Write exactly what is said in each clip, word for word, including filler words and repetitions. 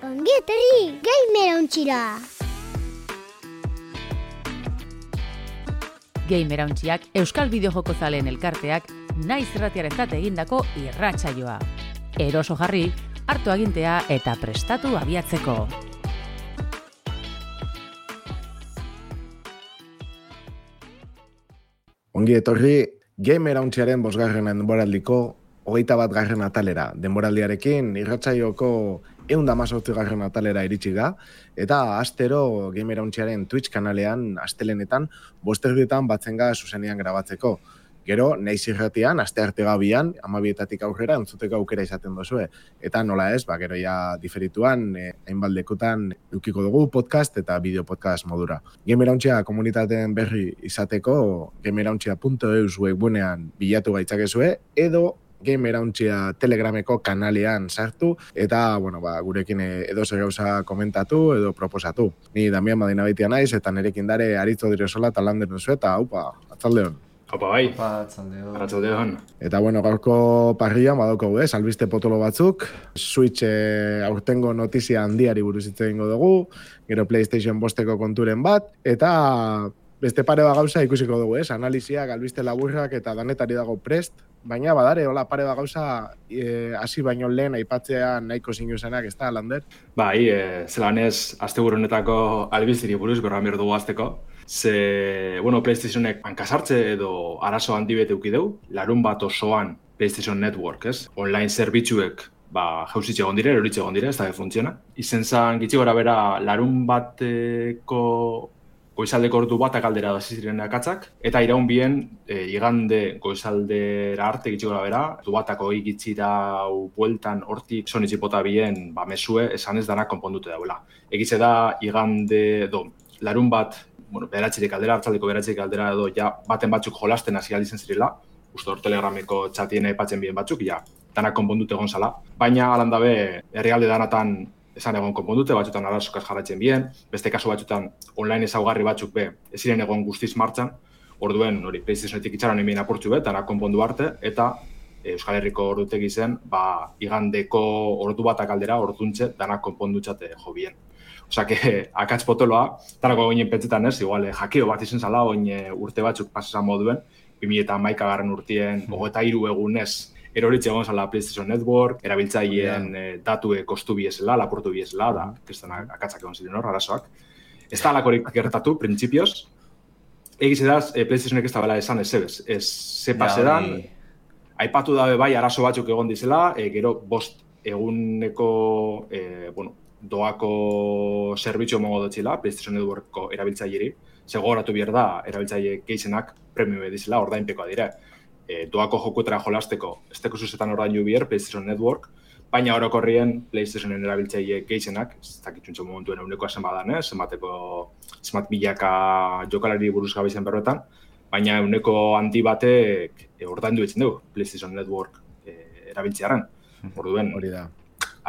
Ongi etorri Gamerauntxira! Gamerauntxiak Euskal Bideojoko zaleen elkarteak naiz irratiarentzat egindako irratsaioa. Eroso jarri, hartu agintea eta prestatu abiatzeko. Ongi etorri Gamerauntxiaren bosgarren denboraldiko hogeita bat garren atalera. Denboraldiarekin irratsaioko ehun eta hamazortzi garren atalera iritsi da, eta astero Gamerauntxiaren Twitch kanalean astelenetan bosterdietan batzen ga zuzenean grabatzeko. Gero, naiz irratian, astearte gabian, hamabietatik aurrera entzuteko aukera izaten dozue. Eta nola ez, ba, gero ja diferituan, eh, hainbaldekutan eukiko dugu podcast eta bideo podcast modura. Gamerauntxia komunitateen berri izateko, gamerauntxia puntu eus webgunean bilatu gaitzakezue, edo Gamerauntxia Telegrameko kanalean sartu, eta, bueno, ba, gurekin edo zer gauza komentatu edo proposatu. Ni Damian Madina baitia naiz, eta nerekin dare aritzo direzola talan denuzu, eta haupa, atzaldeon. Opa, bai. Opa, atzaldeon. Atzaldeon. Eta, bueno, gaurko parrian badaukagu, ez, albiste potolo batzuk, Switch eh, aurtengo notizia handiari buruz hitz egingo dugu, gero PlayStation bosteko konturen bat, eta beste pare bat gauza ikusiko dugu, ez, analiziak, albiste laburrak eta danetari dago prest, baina badare, hola, pare bat gauza hasi e, baino lehen aipatzea nahiko zinuzenak, ez da, Lander? Bai, e, zelan ez, asteburu honetako albiziri buruz, berra behar dugu azteko. Ze, bueno, PlayStationek hankasartze edo arazo handi bete uki dugu, larun bat osoan PlayStation Network, ez? Online zerbitzuek, ba, jauzitxe egon dire, eroritxe egon dire, ez da funtziona. Izen zan, gitxi gora bera, larun bateko goizaldeko ordu batak aldera da ziren akatzak, eta iraun bien, e, igande goizaldera arte gitxiko da bera, ordu batako egitzira bueltan hortik sonitxipota bien, ba, mesue, esan ez danak konpondute dauela. Egitze da, igande, do, larun bat, bueno, beratxirik aldera, hartzaldeko beratxirik aldera edo, ja, baten batzuk jolasten hasi aldizen zirela, uste hor Telegrameko txatien aipatzen bien batzuk, ja, danak konpondute egon zala. Baina, alandabe, herrialde danatan esan egon konpondute, batzutan arazokaz jarraitzen bien, beste kasu batzutan online ezaugarri batzuk be, ez ziren egon guztiz martxan, orduen hori PlayStationetik itxaron emien apurtxu be, danak konpondu arte, eta e, Euskal Herriko ordutegi zen, ba, igandeko ordu batak aldera, orduntxe, danak konpondutxate jo bien. Osa, que, akatz potoloa, tanako ginen pentsetan ez, igual, jakeo bat izen zala, oin urte batzuk pasesan moduen, bi mila hamaika garren urtien, hogeita hiru egunez, eroritxe egon zala PlayStation Network, erabiltzaileen yeah. e, datue kostu biezela, lapurtu biezela, da, kriston akatzak egon ziren hor, arazoak. Ez da alakorik gertatu, printzipioz. Egiz edaz, e, PlayStationek ez da bela esan ez ebez. Ez zepa zedan, aipatu dabe bai arazo batzuk egon dizela, e, gero bost eguneko, e, bueno, doako zerbitzu emongo dutxila, PlayStation Networkko erabiltzaileri, segoratu bier da, erabiltzaile gehienak premium edizela, ordainpekoa dire. E, doako jokuetara jolasteko, ez teko zuzetan ordaindu bier, PlayStation Network, baina orokorrien PlayStationen erabiltzaile gehienak, ez dakitzuntzo momentuen egunekoa zenbadan, eh? zenbateko, zenbat milaka jokalari buruz gabizen berretan, baina eguneko handi batek e, ordaindu etzen dugu PlayStation Network e, erabiltzearen. Orduen, hori da.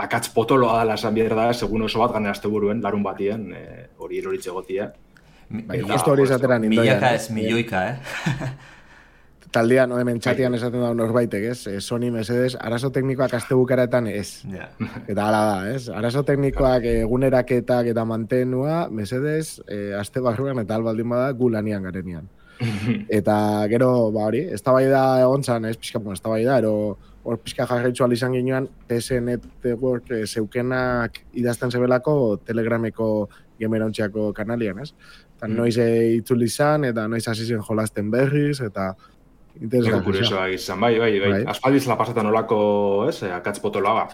Akatz potoloa dela esan bier da, segun oso bat gane asteburuen, larun batien, hori e, eroritxe gotia. Bai, justo hori esateran indoian. Milaka ez milioika, eh? Taldean, hemen txatian esaten da norbaitek, ez? Sony mesedez, arazo teknikoak aste bukaretan ez. Yeah. Eta hala da, ez? Arazo teknikoak eguneraketak eta mantenua, mesedez, eh, aste barruan eta albaldin bada gu lanian garenian. Eta gero, ba hori, ez da bai da egon zan, ez pixka, ez da bai da, ero hor pixka jarraitzu alizan ginoan, P S Network eh, zeukenak idazten zebelako Telegrameko Gamerauntxiako kanalian, ez? Eta mm. noiz eh, itzuli izan, eta noiz hasi zen jolasten berriz, eta Ego kuriosoa izan, bai, bai, bai. bai. Aspaldiz la pasetan olako, ez, akatz potoloa,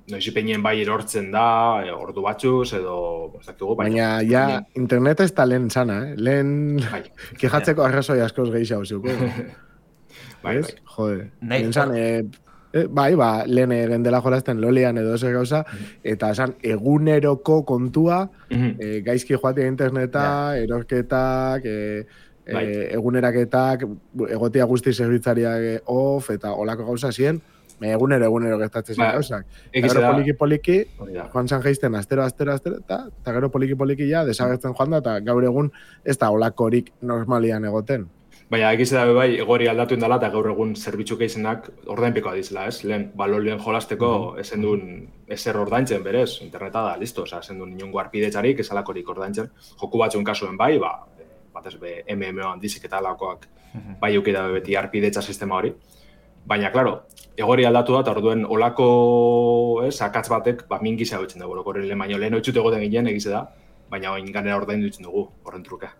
noiz ipenien bai erortzen da, ordu batzuz, edo, ez dakigu, bai. Baina, ja, internet ez da lehen zana, eh? Lehen, bai. Kejatzeko arrazoi askoz gehiago ziuko. Bai, bai. Jode, lehen zan, eh, eh, bai, ba, lehen gendela jolazten lolian edo zer gauza, eta esan, eguneroko kontua, eh, gaizki joatea interneta, yeah. erorketak, eh, Bai. E, eguneraketak, egotia guzti zerbitzariak off, eta olako gauza zien, egunero, egunero gertatzen zen gauzak. Eta gero poliki-poliki, joan zan geizten astero, astero, astero, eta, eta gero poliki-poliki ja, desagertzen joan da, eta gaur egun ez da olakorik normalian egoten. Baina, egiz da bai, egori aldatu indala eta gaur egun zerbitzu keizenak ordainpekoa dizela, ez? Lehen, balon lehen jolasteko, mm-hmm. esen duen ezer ordaintzen berez, interneta da, listo, oza, esen duen inongo arpidetzarik, esalakorik ordaintzen. Joku batzuen kasuen bai, ba, batez be, M M O handizik eta alakoak mm-hmm. bai eukida beti arpidetza sistema hori. Baina, klaro, egori aldatu da, eta orduen olako, ez, akatz batek, ba, mingizia betzen dugu, orokorren lehen baino, lehen oitzut egoten ginen egize da, baina oin ganera ordain dutzen dugu, horren truke.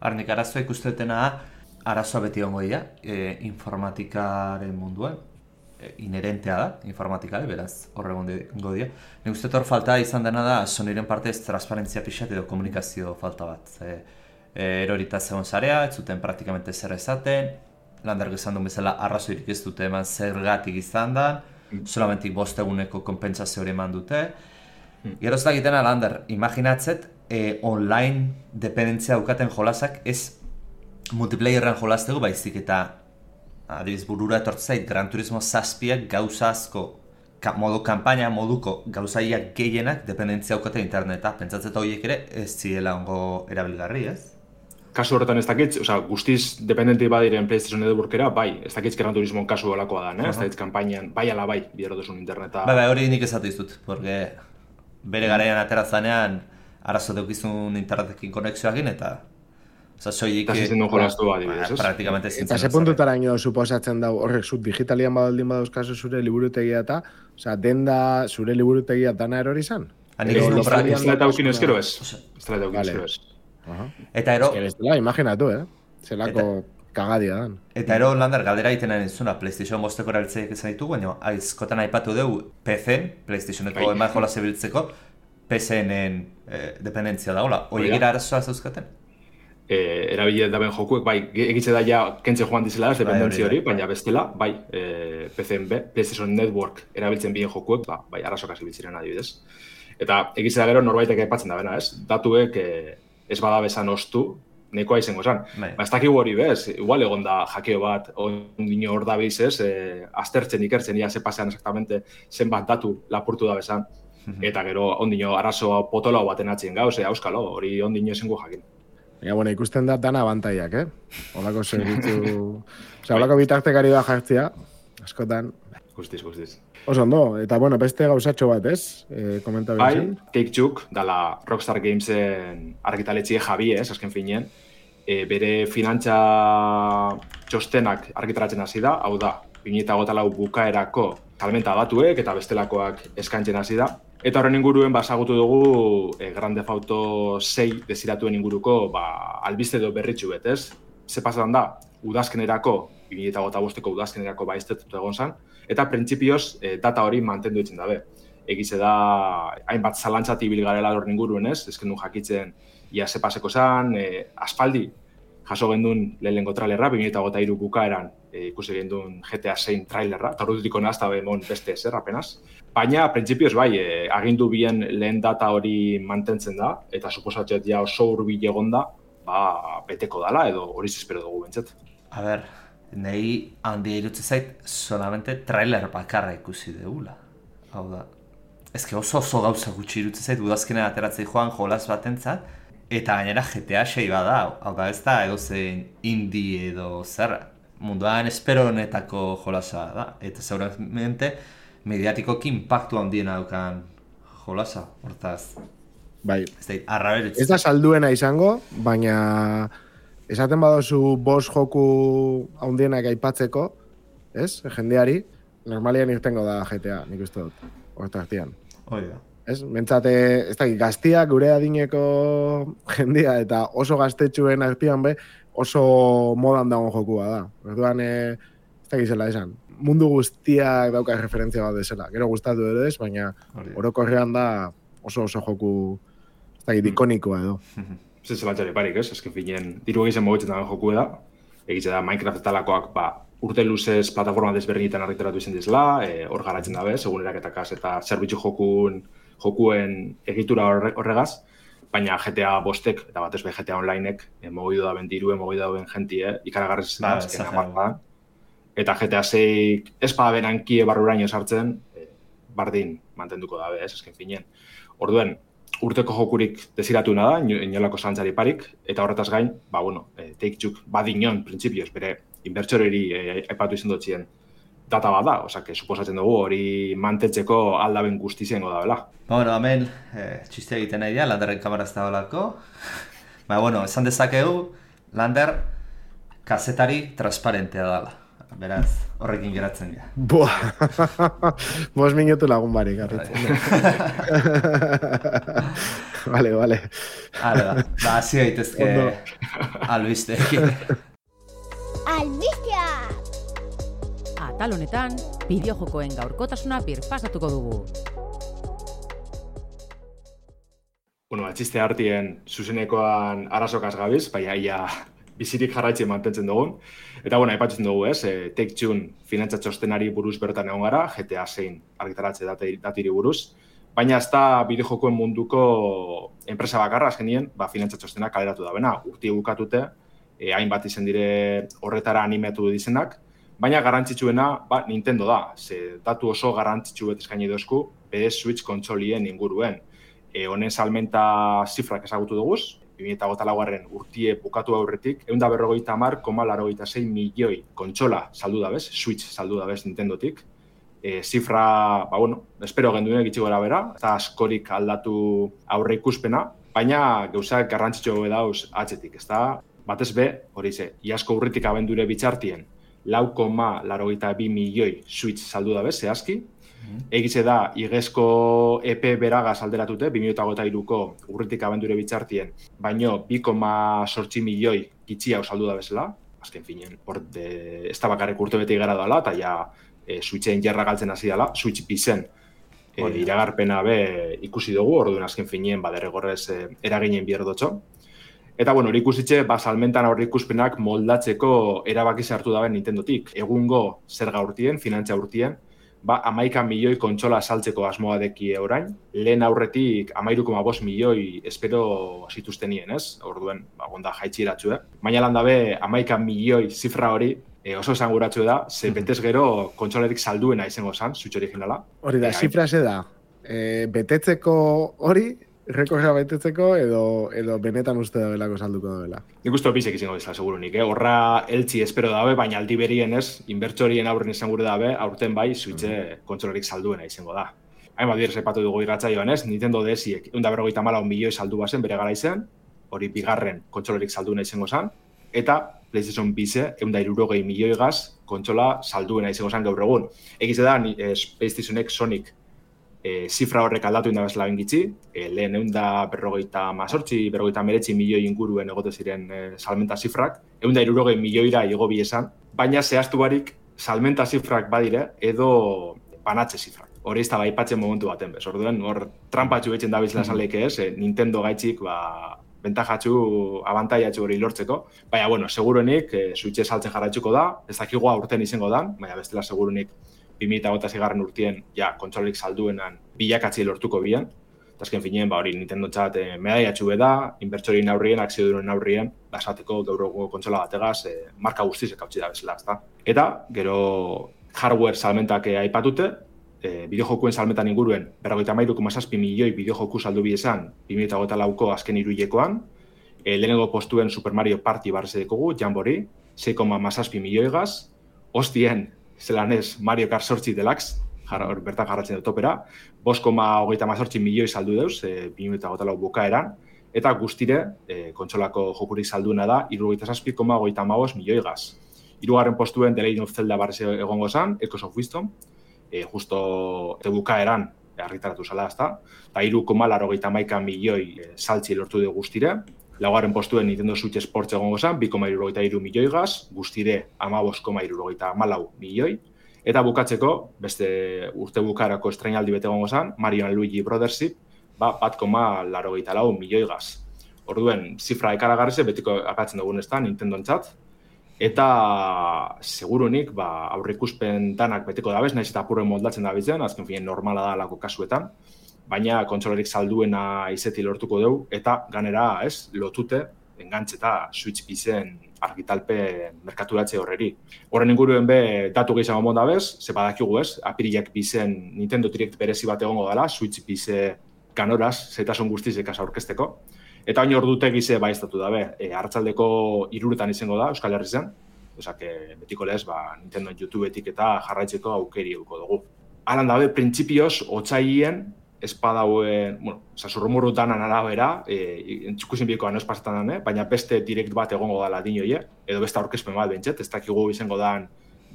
Arnik, arazoa ikustetena, arazoa beti ongo dira, e, informatikaren munduan, e, inherentea da, informatikare, beraz, horregon gongo dira. Nik uste hor falta izan dena da, Sonyren partez transparentzia pixat edo komunikazio falta bat. E, e, erorita zegoen zarea, ez zuten praktikamente zer esaten, Lander izan duen bezala arrazoirik ez dute eman zergatik izan da, solamentik bost eguneko konpentsazio hori eman dute. Gero ez da egitena, Lander, imaginatzet, e, online dependentzia daukaten jolasak ez multiplayerren jolasteko baizik eta adibiz burura etortzait Gran Turismo zazpiak gauza asko ka, modu kanpaina moduko gauzaiak gehienak dependentzia daukaten interneta. Pentsatzeta horiek ere ez ziela ongo erabilgarri, ez? Kasu horretan ez dakitz, oza, guztiz dependenti badiren PlayStation Networkera, bai, ez dakitz Gran Turismo kasu olakoa da, ne? Uh-huh. Ez dakitz kanpainan, bai ala bai, biderotuzun interneta. Bai, bai, hori nik esatu izut, porque bere garaian aterazanean arazo deukizun internetekin konexioakin eta Osa, soilik... Eta zizten duen jolaztu adibidez, ez? Praktikamente zintzen. Eta ze puntutara ino suposatzen dau horrek zut digitalian badaldin badauzkazu zure liburutegia eta, oza, denda zure liburutegia dana erori izan? Ez da eta aukin ezkero ez. Ez da eta aukin ezkero ez. Eta ero... Ez da, imaginatu, eh? Zelako kagadia dan. Eta ero, Lander, galdera egiten ari zuna, PlayStation bosteko erabiltzeiak izan ditugu, baina aizkotan aipatu dugu P C-en, PlayStationeko eman jola zebiltzeko, P C-enen dependentzia dagoela. Oie gira arazoa zauzkaten? Eh, erabile daben jokuek, bai, egitze da ja kentze joan dizela, ez dependentzia hori, baina bestela, bai, eh, P C-en be, PlayStation Network erabiltzen bien jokuek, ba, bai, arrazoak azibiltziren adibidez. Eta egitze da gero norbaitek aipatzen da bena, ez? Datuek eh, ez bada bezan ostu, nekoa izango esan. Ba, ez dakigu hori bez, igual egon da jakeo bat, ondino hor da biz, ez? Eh, aztertzen, ikertzen, ia ze pasean exactamente zenbat datu lapurtu da bezan. Eta gero ondino arazoa potolo baten atzien gauz, auskalo, hori ondino esengo jakin. Ja, bueno, ikusten da dana abantaiak, eh? Olako servitu... Osa, olako bitartekari da jartzea, askotan... Guztiz, guztiz. Oso ondo, eta bueno, beste gauzatxo bat, ez? E, komenta bai, Take-Two, dala Rockstar Gamesen argitaletxie Javi, ez, azken finean, e, bere finantza txostenak argitaratzen hasi da, hau da, bi mila hogeita lau bukaerako salmenta datuek eta bestelakoak eskaintzen hasi da. Eta horren inguruen basagutu dugu e, Grand Theft Auto sei desiratuen inguruko ba, albiste edo berritxu bet, ez? Ze pasetan da, udazkenerako, bi mila hogeita bosteko udazkenerako baiztetutu egon zen, eta printzipioz e, data hori mantendu ditzen dabe. Egize da, hainbat zalantzat ibil garela horren inguruen, ez? Ezken du jakitzen, ia ze paseko zen, e, aspaldi, jaso gendun lehenengo trailerra, bi mila hogeita hiru bukaeran e, ikusi gendun G T A sei trailerra, eta horretutik honazta behemon beste ezer, apenas. Baina, printzipioz bai, e, agindu bien lehen data hori mantentzen da, eta suposatzet ja oso hurbil egon da, ba, beteko dala, edo hori espero dugu bentzet. A ber, nahi handia irutze zait, solamente trailer bakarra ikusi degula. Hau da, ezke oso oso gauza gutxi irutze zait, udazkenen ateratzei joan jolaz batentzat, eta gainera G T A sei bada, hau da ez da, edo zein indie edo zer, munduan espero honetako jolasa da, eta seguramente mediatikoki impactu handiena daukan jolasa, hortaz. Bai. Ez da, arraberitz. Ez da salduena izango, baina esaten badozu bost joku handienak aipatzeko, ez, jendeari, normalian irtengo da G T A, nik uste dut, hortartian. Hoi da. Ez, mentzate, ez da, gaztiak gure adineko jendia eta oso gaztetxuen artean be, oso modan dagoen jokua da. Orduan, e, ez da gizela esan. Mundu guztiak dauka referentzia bat desela. Gero gustatu edo ez, baina orokorrean da oso oso joku ez da, ikonikoa edo. Ez zelantzari parik, ez? Ezken finean, diru egizan mogitzen dagoen joku da. Egitze da, Minecraft talakoak, ba, urte luzez plataforma desberdinetan argitaratu izan dizela, hor e, garatzen dabe, segun eraketakaz eta zerbitzu jokun, jokuen egitura horregaz, baina G T A bostek, eta batez be G T A Onlinek, e, mogidu da ben dirue, mogidu da ben jentie, ikaragarrez izan da, azken amartan. Eta G T A sei ez bada benankie barruraino sartzen, e, bardin mantenduko dabe, ez, azken finean. Orduen, urteko jokurik desiratuena da, inolako zantzari parik, eta horretaz gain, ba, bueno, e, Take-Two badinon, printzipioz, bere inbertsoreri e, aipatu izan dutxien data bat da, osea, suposatzen dugu hori mantentzeko aldaben guztizengo da, bela. Ba, bueno, hemen, eh, txiste egiten nahi da, Landerren kamaraz da holako. Ba, bueno, esan dezakegu, Lander kazetari transparentea dela. Beraz, horrekin geratzen dira. Boa, bos minutu lagun barik, garritzen. Vale, vale. Hala da, ba, hasi gaitezke albisteekin. Albistea! Atal honetan, bideojokoen gaurkotasuna birpasatuko dugu. Bueno, atxiste hartien zuzenekoan arazokaz gabiz, baina ia bizirik jarraitzen mantentzen dugun. Eta, bueno, aipatzen dugu, ez, e, Take-Two finantza txostenari buruz bertan egon gara, G T A zein argitaratze datiri buruz, baina ez da bideojokoen munduko enpresa bakarra, azkenien, ba, finantza txostena kaleratu da bena, urti bukatute, e, hainbat izen dire horretara animatu dizenak, baina garrantzitsuena, ba, Nintendo da, ze datu oso garrantzitsu bet eskaini dozku, bere Switch kontsolien inguruen. E, honen salmenta zifrak ezagutu duguz, bi mila hogeita laugarren urtie bukatu aurretik, ehun eta berrogeita hamar koma laurogeita sei milioi kontsola saldu da bez, Switch saldu da bez Nintendotik. E, zifra, ba, bueno, espero genduen gitxi gora bera, eta askorik aldatu aurre ikuspena, baina gauzak garrantzitsu dauz atzetik, ez da, batez be, hori ze, iazko urritik abendure bitxartien, lau koma laurogeita bi milioi Switch saldu da bez, zehazki, egize da, igezko E P beragaz alderatute, bi mila hogeita hiruko urritik abendure bitxartien, baino bi koma zortzi milioi gitxi hau saldu da bezala, azken finen, hor de, ez da bakarrik urte bete igara dela, eta ja e, Switchen jarra galtzen hasi dela, Switch bizen e, iragarpena be ikusi dugu, orduan azken finen, baderregorrez e, eraginen bierdotxo. Eta, bueno, hori ikusitxe, ba, salmentan aurre ikuspenak moldatzeko erabaki hartu daben Nintendotik. Egungo zerga urtien, finantza urtien, ba, amaika milioi kontsola saltzeko asmoa deki orain, lehen aurretik amairu koma bost milioi espero zituztenien, ez? Orduen, ba, gonda jaitxiratxu, eh? Baina lan dabe, amaika milioi zifra hori e, oso esanguratxu da, ze betez gero kontsolarik salduena izango zan, Switch originala. Hori da, e, zifra ze da, e, betetzeko hori, rekorra betetzeko edo, edo benetan uste da belako salduko da bela. Nik uste opizek izango izan, segurunik, eh? Horra eltsi espero dabe, baina aldi berien ez, inbertsorien aurren izan gure dabe, aurten bai, Switche mm-hmm. kontsolarik salduena izango da. Hainbat direz epatu dugu irratzaioan ez, Nintendo D S-iek ehun eta berrogeita hamalau milioi saldu bazen bere gara izan, hori bigarren kontsolarik salduena izango zan, eta PlayStation bize ehun eta hirurogei milioi gaz kontsola salduena izango zan gaur egun. Egize da, eh, PlayStationek Sonic E, zifra horrek aldatu indabezela bengitzi, e, lehen ehun eta berrogeita mazortzi, berrogeita meretzi milioi inguruen egote ziren e, salmenta zifrak, ehun eta hirurogei milioira igo bi esan, baina zehaztu barik salmenta zifrak badire edo banatze zifrak. Hori ez da baipatzen momentu baten bez, orduen hor trampatxu betzen dabizela saleke ez, e, Nintendo gaitxik ba, bentajatxu, abantaiatxu hori lortzeko, baina bueno, seguruenik e, Switche saltzen jarraitzuko da, ez dakigu aurten izango da, baina bestela seguruenik bi mila hogeita seigarren urtien, ja, kontsolarik salduenan bilakatzi lortuko bian. Eta azken finean, ba, hori Nintendo txat eh, medaiatxu beda, inbertsorien aurrien, akziodunen aurrien, basateko gauroko kontsola bategaz, eh, marka guztizek hautsi da bezala, ezta. Eta, gero hardware salmentak eh, aipatute, eh, bideojokuen salmentan inguruen, berrogeita hamairu koma zazpi milioi bideojoku saldu biezan, bi mila hogeita lauko azken hiruhilekoan, eh, lehenengo postuen Super Mario Party barreze dekogu, Jamboree, sei koma zazpi milioi gaz, hostien, zelan ez Mario Kart zortzi Deluxe, jarra, bertan jarratzen dut topera, bost koma hogeita mazortzi milioi saldu deuz, e, bi mila hogeita lau bukaeran, eta guztire, e, kontsolako jokurik salduena da, hirurogeita zazpi koma hogeita hamabost milioi gaz. Hirugarren postuen The Legend of Zelda barrez egongo zan, Echoes of Wisdom, e, justo te bukaeran argitaratu zala, ezta, eta hiru koma laurogeita hamaika milioi e, saltzi lortu dugu guztire. Laugarren postuen Nintendo Switch Sports egongo zen, bi koma hirurogeita hiru milioi gaz, guztire hamabost koma hirurogeita hamalau milioi. Eta bukatzeko, beste urte bukarako estreinaldi bete egongo zen, Mario and Luigi Brothership, ba, bat koma laurogeita lau milioi gaz. Orduen, zifra ekaragarrize, betiko apatzen dugun ez da, Nintendo entzat. Eta, segurunik, ba, aurreikuspen danak beteko dabez, nahiz eta apurren moldatzen dabizen, azken finen normala da alako kasuetan. Baina kontsolarik salduena izeti lortuko dugu, eta ganera, ez, lotute, engantzeta Switch bizen argitalpe merkaturatze horreri. Horren inguruen be, datu gehiago monda bez, ze badakigu ez, apirilak bizen Nintendo Direct berezi bat egongo dela, Switch bize ganoraz, zetasun guztiz ekasa aurkezteko. Eta hain ordute gize baiztatu dabe, e, hartzaldeko hiruretan izango da, Euskal Herri zen. Osak, betiko lez, ba, Nintendo YouTubetik eta jarraitzeko aukeri eduko dugu. Alan dabe, printzipioz, otzaien, espadauen, bueno, zazurrumurru danan arabera, e, entzukusin biekoa noz pasatan dane, baina beste direkt bat egongo dala dinoie, edo beste aurkezpen bat bentset, ez dakigu izango dan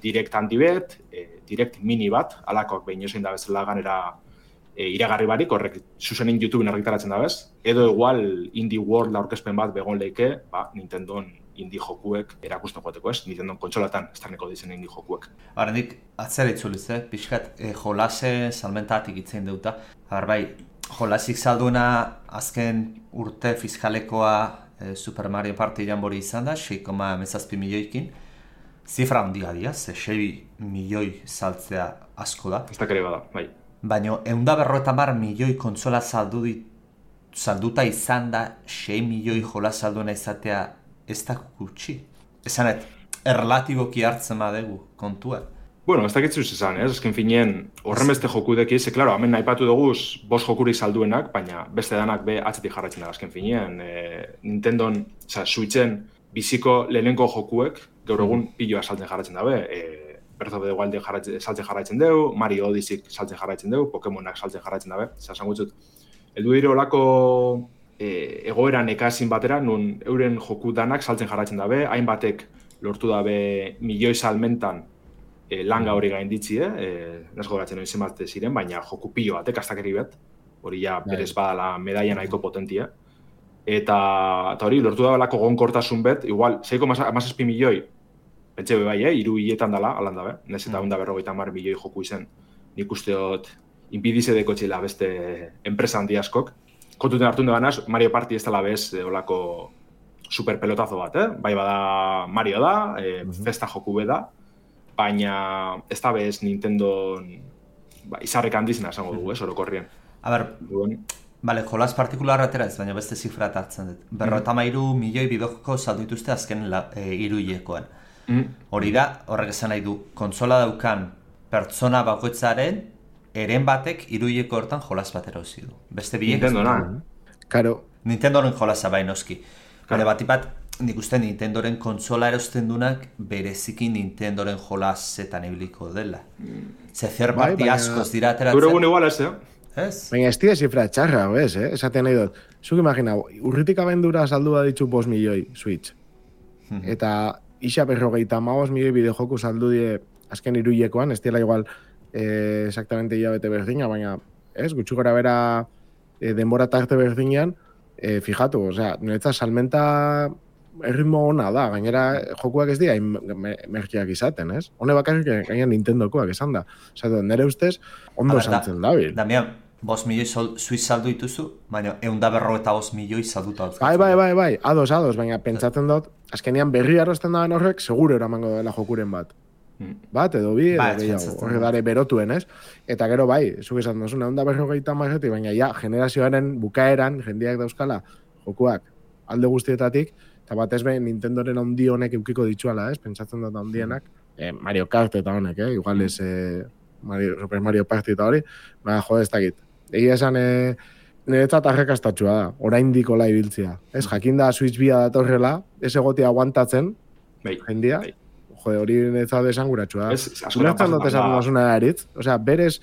direkt handi bet, e, direkt mini bat, alakoak behin ozein da bezala ganera e, iragarri barik, horrek zuzenin YouTubeen argitaratzen da bez, edo igual Indie World aurkezpen bat begon leike, ba, Nintendon indie jokuek erakusten joateko ez, Nintendo kontsolatan estarneko dizen indie jokuek. Horrendik, atzera itzuliz, eh? Pixkat, eh, jolase salmentatik itzein deuta. Har bai, jolasik salduena azken urte fiskalekoa eh, Super Mario Party jambori izan da, sei koma hamazazpi milioikin. Zifra handia dira, ze sei milioi saltzea asko da. Ez da kere bada, bai. Baina, eunda berroeta mar milioi kontsola saldu dit, salduta izan da, sei milioi jola salduena izatea ez da gutxi. Esanet, erlatiboki hartzen badegu kontua. Bueno, ez dakitzuz esan, ez? Azken finien, horren beste jokudeki, ze, klaro, hemen naipatu duguz bost jokurik salduenak, baina beste danak be atzetik jarraitzen da azken finien. E, Nintendon, oza, Switchen biziko lehenenko jokuek, gaur egun piloa saltzen jarraitzen dabe. E, Breath of the Wild saltzen jarraitzen dugu, Mario Odyssey saltzen jarraitzen dugu, Pokemonak saltzen jarraitzen dabe. Zer, esan gutzut, eldu dire olako e, egoeran ekazin batera, nun euren joku danak saltzen jarraitzen dabe, hainbatek lortu dabe milioi salmentan E, langa hori gainditzi, eh? Nesko geratzen hori zenbat ziren, baina joku pilo batek astakeri bet, hori ja berez badala medaia nahiko potentia. Eta, eta hori, lortu da belako gonkortasun bet, igual, sei koma hamazazpi milioi, pentsa be bai, eh? Hiru hiletan dala, alan dabe, nez eta onda berrogeita hamar milioi joku izen, nik usteot, inpidize deko txila beste enpresa handi askok. Kontuten hartu ganaz, Mario Party ez dela bez, eh, olako super pelotazo bat, eh? Bai bada Mario da, eh, festa joku be da, baina ez da bez Nintendo ba, izarrek handizena esango dugu, ez, orokorrien. A ber, bale, jolas partikularra atera ez, baina beste zifra hartzen dut. Berrogeita hamairu milioi bidojoko saldu dituzte azken la, e, hiruhilekoan. Mm. Hori da, horrek esan nahi du, kontsola daukan pertsona bakoitzaren eren batek hiruhileko hortan jolas bat erosi du. Beste biek Nintendo, na? Karo. Nintendoren jolasa bai noski. Bale, batipat, nik uste Nintendoren kontsola erosten dunak bereziki Nintendoren jolasetan ibiliko dela. Ze zer Bai, parti baina- askoz dira ateratzen. Gure egun igual ez, eh? Ez? Baina ez dira zifra txarra, ez, eh? Esaten nahi dut. Zuk imagina, urritik abendura saldu ditzu bost milioi Switch. Eta isa berrogeita hamabost milioi bideojoku saldu die azken hiruhilekoan, ez dira igual eh, exactamente hilabete berdina, baina ez, gutxi gora bera eh, denbora tarte berdinean, eh, fijatu, osea, niretzat salmenta erritmo ona da, gainera jokuak ez dira me- merkeak izaten, ez? Hone bakarrik gaina Nintendokoak esan da. Osea, nire ustez, ondo A ber, da- saltzen dabil. Damian, bost milioi sol, Switch saldu dituzu, baina eunda berrogeita bost milioi salduta dauzkazu. Bai, bai, bai, bai, ados, ados, baina pentsatzen dut, azkenean berri arrosten daben horrek, seguro eramango dela jokuren bat. Bat, edo bi, edo Bai, gehiago, pentsatzen horre dut. dare berotuen, ez? Eta gero bai, zuk esan duzuna, onda berrogeita marretik, baina ja, generazioaren bukaeran, jendeak dauzkala, jokuak alde guztietatik, eta batez behin Nintendoren handi honek eukiko ditzuala, ez? Pentsatzen dut handienak, eh, Mario Kart eta honek, eh? Igual ez eh, Mario, Super Mario Party eta hori, baina jode ez dakit. Egia esan, eh, niretzat arrakastatxua da, oraindik hola ibiltzea. Ez, jakinda Switch bia datorrela, ez egotia aguantatzen, Bai, jendia, bai. jode, hori niretzat esanguratsua da. Ez, askotan Ulertzen dut pasatzen esaten da. dozuna eritz, osea, berez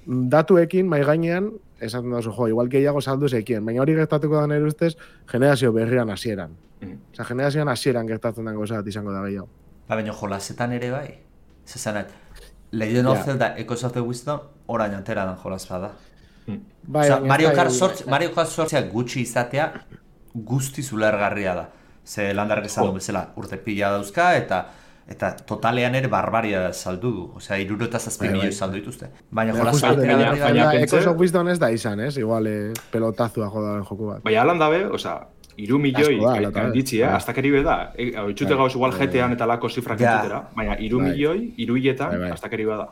datuekin, mai gainean, esaten dozu, jo, igual gehiago saldu zekien, baina hori gertatuko da nire ustez, generazio berrian hasieran. Mm. Osea, generazioan hasieran gertatzen den gauza bat izango da gehiago. Ba, baina jolasetan ere bai. Zezanet, Legend of Ja. Zelda Echoes of the Wisdom orain antera dan jolas bada. Bai, Osea, baina Mario ez da- Kart sortz, Mario Kart sortzea gutxi izatea guztiz ulergarria da. Ze landarrek esan du bezala urte pila dauzka eta eta totalean ere barbaria saldu du. Osea, hirurogeita zazpi Bai, bai. milioi saldu dituzte. Baina Baina jolas justo, batera baina- berri da. baina- baina pentsa- Echoes of Wisdom ez da izan, ez? Igual eh, pelotazua jodaren joku bat. Baina alan dabe, oza, iru milioi Asko da, ala, eta gainditzi, eh? bai. Astakeri be da. E, Itxute gauz igual G T An eta lako zifrak Ja. entzutera, baina iru Bai. milioi, iru hiletan, Bai, bai. astakeri be da.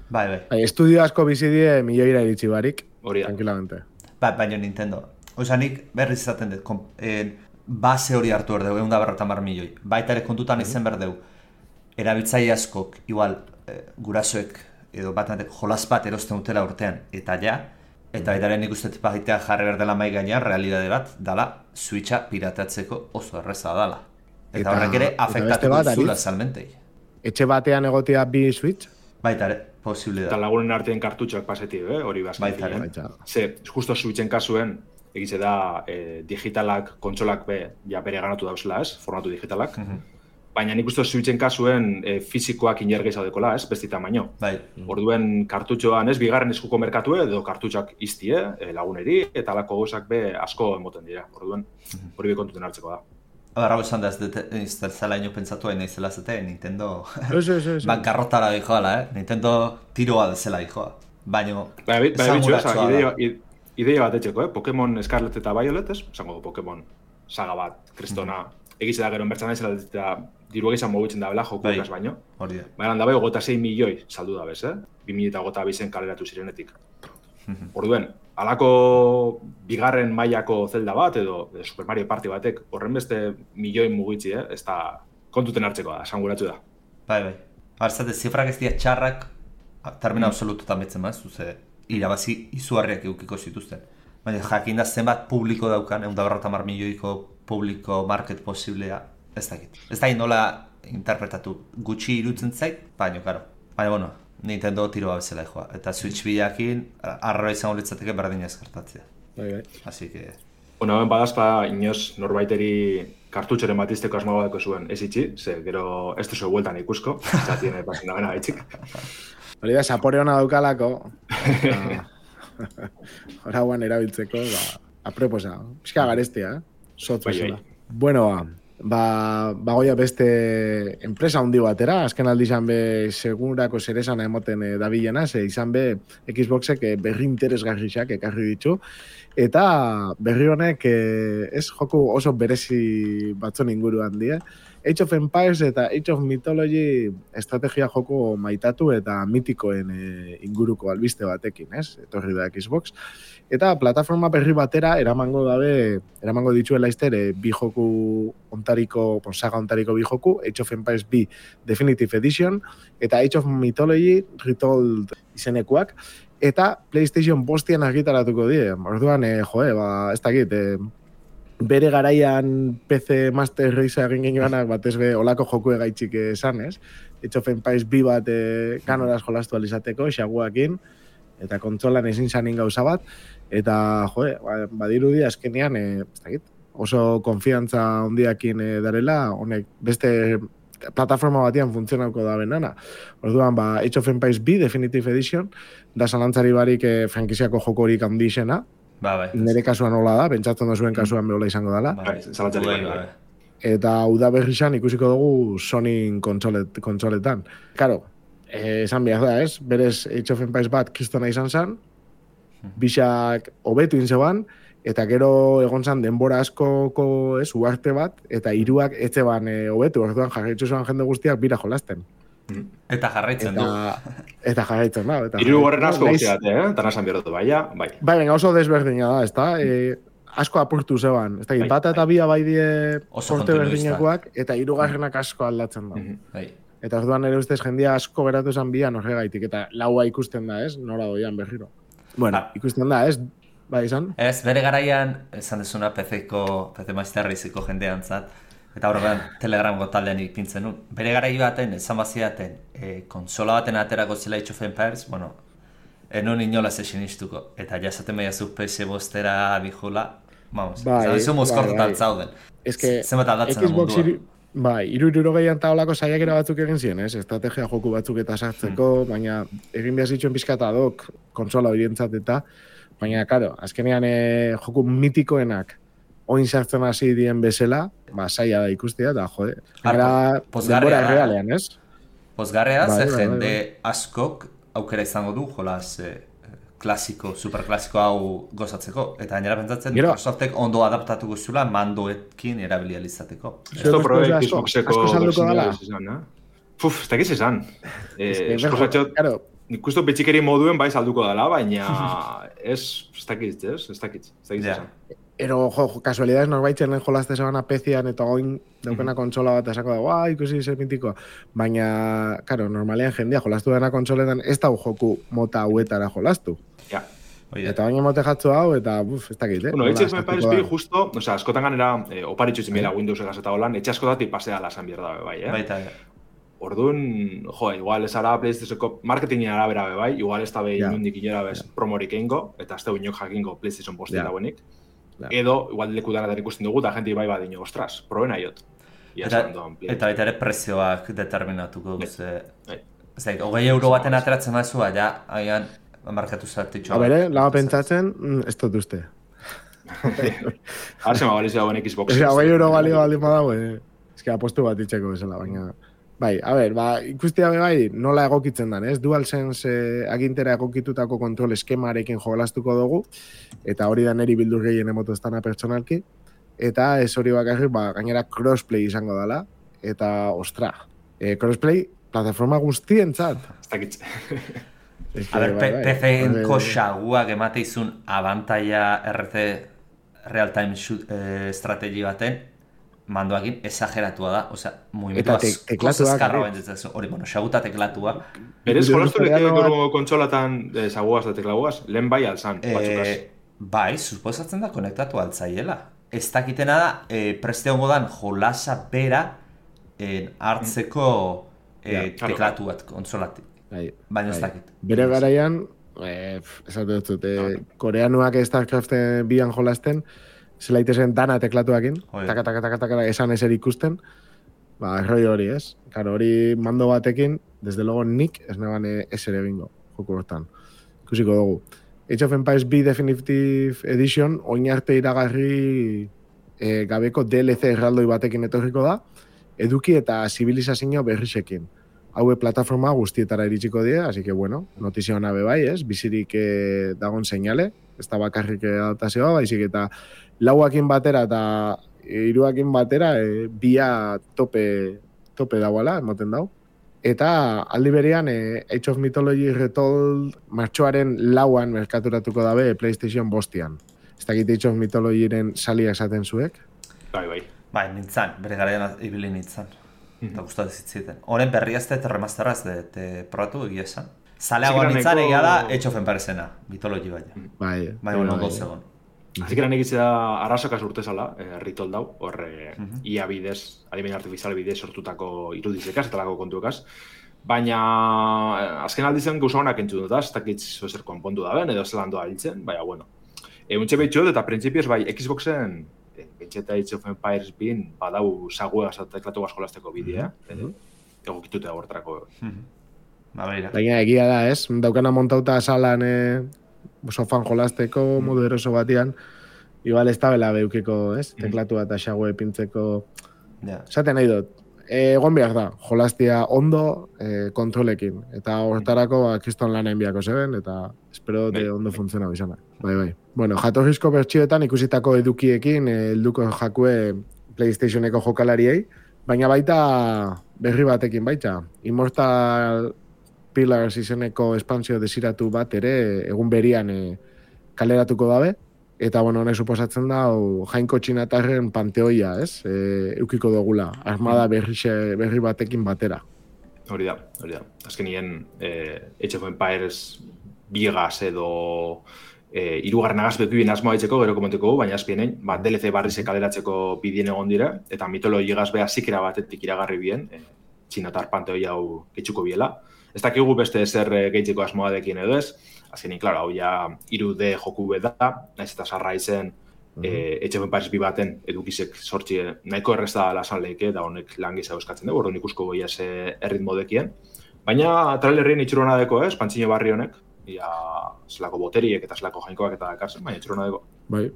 Bai, bai. Bai, estudio asko bizi die milioira iritsi barik, Hori da. tranquilamente. Ba, baina Nintendo. Osea, nik berriz izaten dut, kom- eh, base hori hartu berdeu, egun da berrota mar milioi. Baita ere kontutan izen berdeu, erabiltzaile askok, igual, eh, gurasoek, edo bat jolas bat erosten dutela urtean, eta ja, Eta baita nik uste bagitea jarri behar dela mai gainean, realidade bat, dala, Switcha pirateatzeko oso erreza dala. Eta, eta horrek ere afektatuko zula salmentei. Etxe batean egotea bi Switch? Baita ere, posible da. Eta lagunen artean kartutxoak pasetik, eh? Hori bazki. Baita ere. Baita. Ze, justo Switchen kasuen, egize da, eh, digitalak, kontsolak be, ja bere ganatu dauzela, ez? Formatu digitalak. Mhm. Baina nik uste Switchen kasuen e, fizikoak inergei zaudekola, ez? Besti tamaino. Bai. Orduen kartutxoan, ez? Bigarren eskuko merkatue, edo kartutxak iztie, e, laguneri, eta alako gauzak be asko emoten dira. Orduen, hori be kontuten hartzeko da. Barra esan da ez zela ino pentsatu hain naizela zete, Nintendo Eso, eso, eso. bankarrotara dijoala, eh? Nintendo tiroa dezela dijoa. Baina, Baina, bitxo, ideia, ideia bat etxeko, eh? Pokemon Scarlet eta Violet, ez? Esango du Pokemon saga bat, kristona. Mm. Egize da gero enbertzan naizela eta diru egizan mogutzen da bela joku bai, ekaz baino. Hori da. Baina da bai, gota sei milioi saldu da bez, eh? bi mila eta gota bizen kaleratu zirenetik. Orduen, halako bigarren mailako Zelda bat edo Super Mario Party batek horren beste milioi mugitzi, eh? Ez da kontuten hartzeko da, esanguratu da. Bai, bai. Barzate, zifrak ez dira txarrak, termina absolututan betzen maz, zuze, irabazi izugarriak eukiko zituzten. Baina jakin da zenbat publiko daukan, egun da berrota mar milioiko publiko market posiblea, ez dakit. Ez dakit nola interpretatu gutxi irutzen zait, baina, karo. Baina, bueno, Nintendo tiroa bezala joa. Eta Switch bilakin, arroa izango litzateke berdina ezkartatzea. Bai, bai. Así que... Bueno, hemen badazpa, inoz norbaiteri kartutxoren bat izteko asmoa badeko zuen ez itxi, ze gero ez duzu bueltan ikusko, zatien pasen da bena gaitxik. Hori da, sapore hona daukalako. Hora guan erabiltzeko, ba, aproposa. Pizka garestia, eh? Sotz bezala. Bueno, ba, bagoia beste enpresa handi batera, azken aldi izan be segurako zeresana emoten e, dabilena, ze izan be Xboxek e, berri interesgarriak ekarri ditu, eta berri honek e, ez joku oso berezi batzon inguruan die. Age of Empires eta Age of Mythology estrategia joko maitatu eta mitikoen e, inguruko albiste batekin, ez? Etorri da Xbox. Eta plataforma berri batera eramango dabe, eramango dituela izter, e, bi joku ontariko, bon, saga ontariko bi joku, Age of Empires bi Definitive Edition, eta Age of Mythology Retold izenekuak, eta PlayStation bostian argitaratuko die. Orduan, e, joe, ba, ez dakit, e, bere garaian P C Master Race egin genioanak batez be olako joku egaitxik esan, ez? Age of Empires bi bat e, kanoraz jolastu alizateko, xaguakin, eta kontsolan ezin zanin gauza bat, eta, joe, badirudi azkenean, e, ez dakit, oso konfiantza hondiakin e, darela, honek beste plataforma batian funtzionauko da benana. Orduan, ba, Age of Empires bi Definitive Edition, da zalantzari barik e, frankiziako jokorik handixena, Ba, bai. nire kasuan hola da, pentsatzen duzuen kasuan behola izango dela. Bai, zalantzari bai, bai. bai. Eta uda berrizan ikusiko dugu Sony kontsolet, kontsoletan. Karo, eh, esan behar da, ez? Berez Age of Empires bat kristona izan zen, bisak hobetu inzeban, eta gero egon zan denbora askoko ez, uarte bat, eta hiruak etxe ban hobetu, e, orduan jarraitzu zuen jende guztiak bira jolasten. Eta jarraitzen eta, du. Eta jarraitzen da. Eta Hiru horren asko guztiak, eh? Eta nasan bierotu, baina, bai. Bai, venga, oso desberdina da, ez da? E, asko apurtu zeban. Ez da, Bai, bat eta bai. bia bai die Oso porte kontinuista. berdinekoak, eta hirugarrenak asko aldatzen da. Bai. Eta orduan ere ustez jendia asko geratu zen bian horregaitik, eta laua ikusten da, ez? Nora doian berriro. Bueno, Ba. ikusten da, ez? Bai, izan? Ez, bere garaian, esan dezuna P C-ko, P C Master Race-eko jendean zat, eta horregan Telegramgo taldean ipintzen nun. Bere garai baten, esan baziaten, e, konsola baten aterako zela Age of Empires, bueno, enon inolaz esin iztuko. Eta jasaten behiazu P S bostera dijula, vamos, Bai, esan dizu mozkortuta bai, bai. zauden. Ez que Zenbat aldatzen da Xbox mundua. iru, bai, iru iruro gehian taolako saiakera batzuk egin ziren, ez? Estrategia joku batzuk eta sartzeko, baina egin behar zituen pizkata dok konsola horientzat eta, baina, karo, azkenean e, joku mitikoenak oin sartzen hasi dien bezala, ba, saia da ikustea, da, jode, gara pozgarria denbora da. errealean, ez? Pozgarrea, Bai, ze bai, bai, jende askok aukera izango du, jolaz eh, klasiko, superklasiko hau gozatzeko. Eta gainera pentsatzen, Gero- Microsoftek ondo adaptatuko zula mandoekin erabili alizateko. Esto Zuek probe asko- Xboxeko asko salduko bersioa dala. izan, eh? Puf, ez dakiz esan. Ez Eh, que, esposatxot, Claro, nik uste betxikeri moduen bai salduko dela, baina ez, ez dakit, ez? Ez dakit, ez dakit Ja. esan. ero, jo, jo, kasualidades norbaitzen jolazte zebana pezian eta oin daukena kontsola bat esako da, guai, ikusi zer mitikoa. Baina, karo, normalean jendea jolastu dena kontsoletan ez da joku mota hauetara jolastu. Ja. Eta baina mote jatzu hau, eta buf, ez dakit, eh? Bueno, Age of Empires bi justo, o sea, askotan ganera, eh, oparitxu zimela Windows egaz eta holan, etxe askotatik pasea lasan bierda be bai, eh? Baita, Orduan, jo, igual ez ara PlayStationko marketingin arabera be bai, igual ez da be Ja. inundik inora bez promorik egingo, eta ez da inok jakingo PlayStation postik Ja. dagoenik. Ja. Edo, igual leku danatar ikusten dugu, eta jenti bai badino, ostras, proben aiot. Ia Eta, esan doan, Play. eta baita ere prezioak determinatuko duze. Bai. Ez da, hogei euro baten ateratzen mazu, ja, haian, markatu zartitxo. A bere, laga pentsatzen, mm, ez dut uste. Arse ma balizia dagoen Xbox. Osea, hogei euro balio baldin badago, eh? Ez que apostu bat itxeko bezala, baina... Bai, a ber, ba, ikustia be bai, nola egokitzen dan, ez? DualSense eh, agintera egokitutako kontrol eskemarekin jolastuko dugu, eta hori da neri bildur gehien emoto ez dana pertsonalki, eta ez hori bakarrik, ba, gainera crossplay izango dela, eta, ostra, eh, crossplay plataforma guztientzat. Ez dakitze. Es que, A ber, bai, bai, P C-enko bai, xaguak emate izun abantaia R T real-time eh, estrategi baten, mandoakin exageratua da, osea, mugimendu Eta te- asko teklatuak, zeskarra eh? bentzitzen, hori, bueno, xaguta teklatua. Berez, Gure jolastu leke historiano bat- gero kontsolatan eh, zaguaz da teklaguaz, lehen bai alzan, batzukaz. Eh, bai, suposatzen da konektatu altzaiela. Ez dakitena da, eh, preste hongo dan jolasa bera eh, hartzeko eh, Ja, claro, teklatu bat kontsolatik. bai, Baina ez bai. dakit. Bere garaian, eh, esatu dut, eh, koreanuak StarCraft bian jolasten, zela itezen dana teklatuakin, Oi. taka, taka, taka, taka, esan eser ikusten, ba, erroi hori, ez? Karo, hori mando batekin, desde luego nik ez neban eser egingo, joku hortan. Ikusiko dugu. Age of Empires B Definitive Edition, oin arte iragarri eh, gabeko D L C erraldoi batekin etorriko da, eduki eta zibilizazio berrisekin. Haue plataforma guztietara iritsiko die, así que bueno, notizia hona be bai, ez? Bizirik eh, dagon seinale, ez da bakarrik adaptazioa, baizik eta lauakin batera eta hiruakin batera e, bia tope tope dagoela, emoten dau. Eta aldi berean e, Age of Mythology Retold martxoaren lauan merkaturatuko dabe PlayStation bostian. Ez dakit Age of Mythologyren salia esaten zuek. Bai, bai. Bai, nintzen, bere garaian ibili nintzen. Eta gustatu zitziten. Horen berriazte eta remasteraz de, de probatu egia esan. Zaleagoa Zikera nintzen nahiko- egia da Age of Empiresena, mitologi baina. Bai, Bai, bueno, ondo zegoen. Azikera negitzea arrasokaz urtezala, eh, ritol dau, horre ia bidez, adimen artifizial bidez sortutako irudizekaz eta lako kontuekaz. Baina eh, azken aldizen gauza honak entzun dut, ez dakit zozer konpondu da ben, edo zelan doa hiltzen, baina bueno. E, untxe behitxo eta printzipioz bai Xboxen, e, betxeta Age of Empires bin, badau zaguegaz eta teklatu jolasteko bidea, mm egokituta hortarako. Ba, beira. Baina egia da, ez? Daukana montauta salan e, sofan jolasteko modu eroso batian, igual ez da bela beukiko, ez? Teklatu eta xague pintzeko... Ja. Esaten nahi dut, e, egon behar da, jolastia ondo e, kontrolekin. Eta hortarako ba, kriston lan enbiako zeben, eta espero dute Bai. ondo funtziona bizana. Bai, bai. Bueno, jatorrizko bertxioetan ikusitako edukiekin e, helduko jakue PlayStationeko jokalariei, baina baita berri batekin baita. Immortal Pillars izeneko espansio desiratu bat ere egun berian e, kaleratuko dabe. Eta, bueno, honek suposatzen da, o, jainko txinatarren panteoia, ez? E, eukiko dugula, armada berri, berri batekin batera. Hori da, hori da. Azkenien, eh, Age of Empires biegaz edo eh, irugarren agaz bekibien asmoa ditzeko, gero komenteko, baina azpienein, ba, D L C barrize kaleratzeko bidien egon dire, eta mitologi gazbea zikera batetik iragarri bien, eh, txinatar panteoi hau getxuko biela. Ez dakigu beste zer eh, gehitzeko asmoa dekin edo ez, azkenin, klaro, hau ja hiru D joku beda, naiz eta sarra izen, eh, Age of Empires bi baten edukizek sortzi nahiko errezta lasan leike, da honek lan gisa euskatzen dugu, orduan ikusko goia ze erritmo dekien. Baina trailerrien itxurona deko, ez, pantzino barri honek, ia zelako boteriek eta zelako jainkoak eta dakarzen, baina itxurona deko. Bai.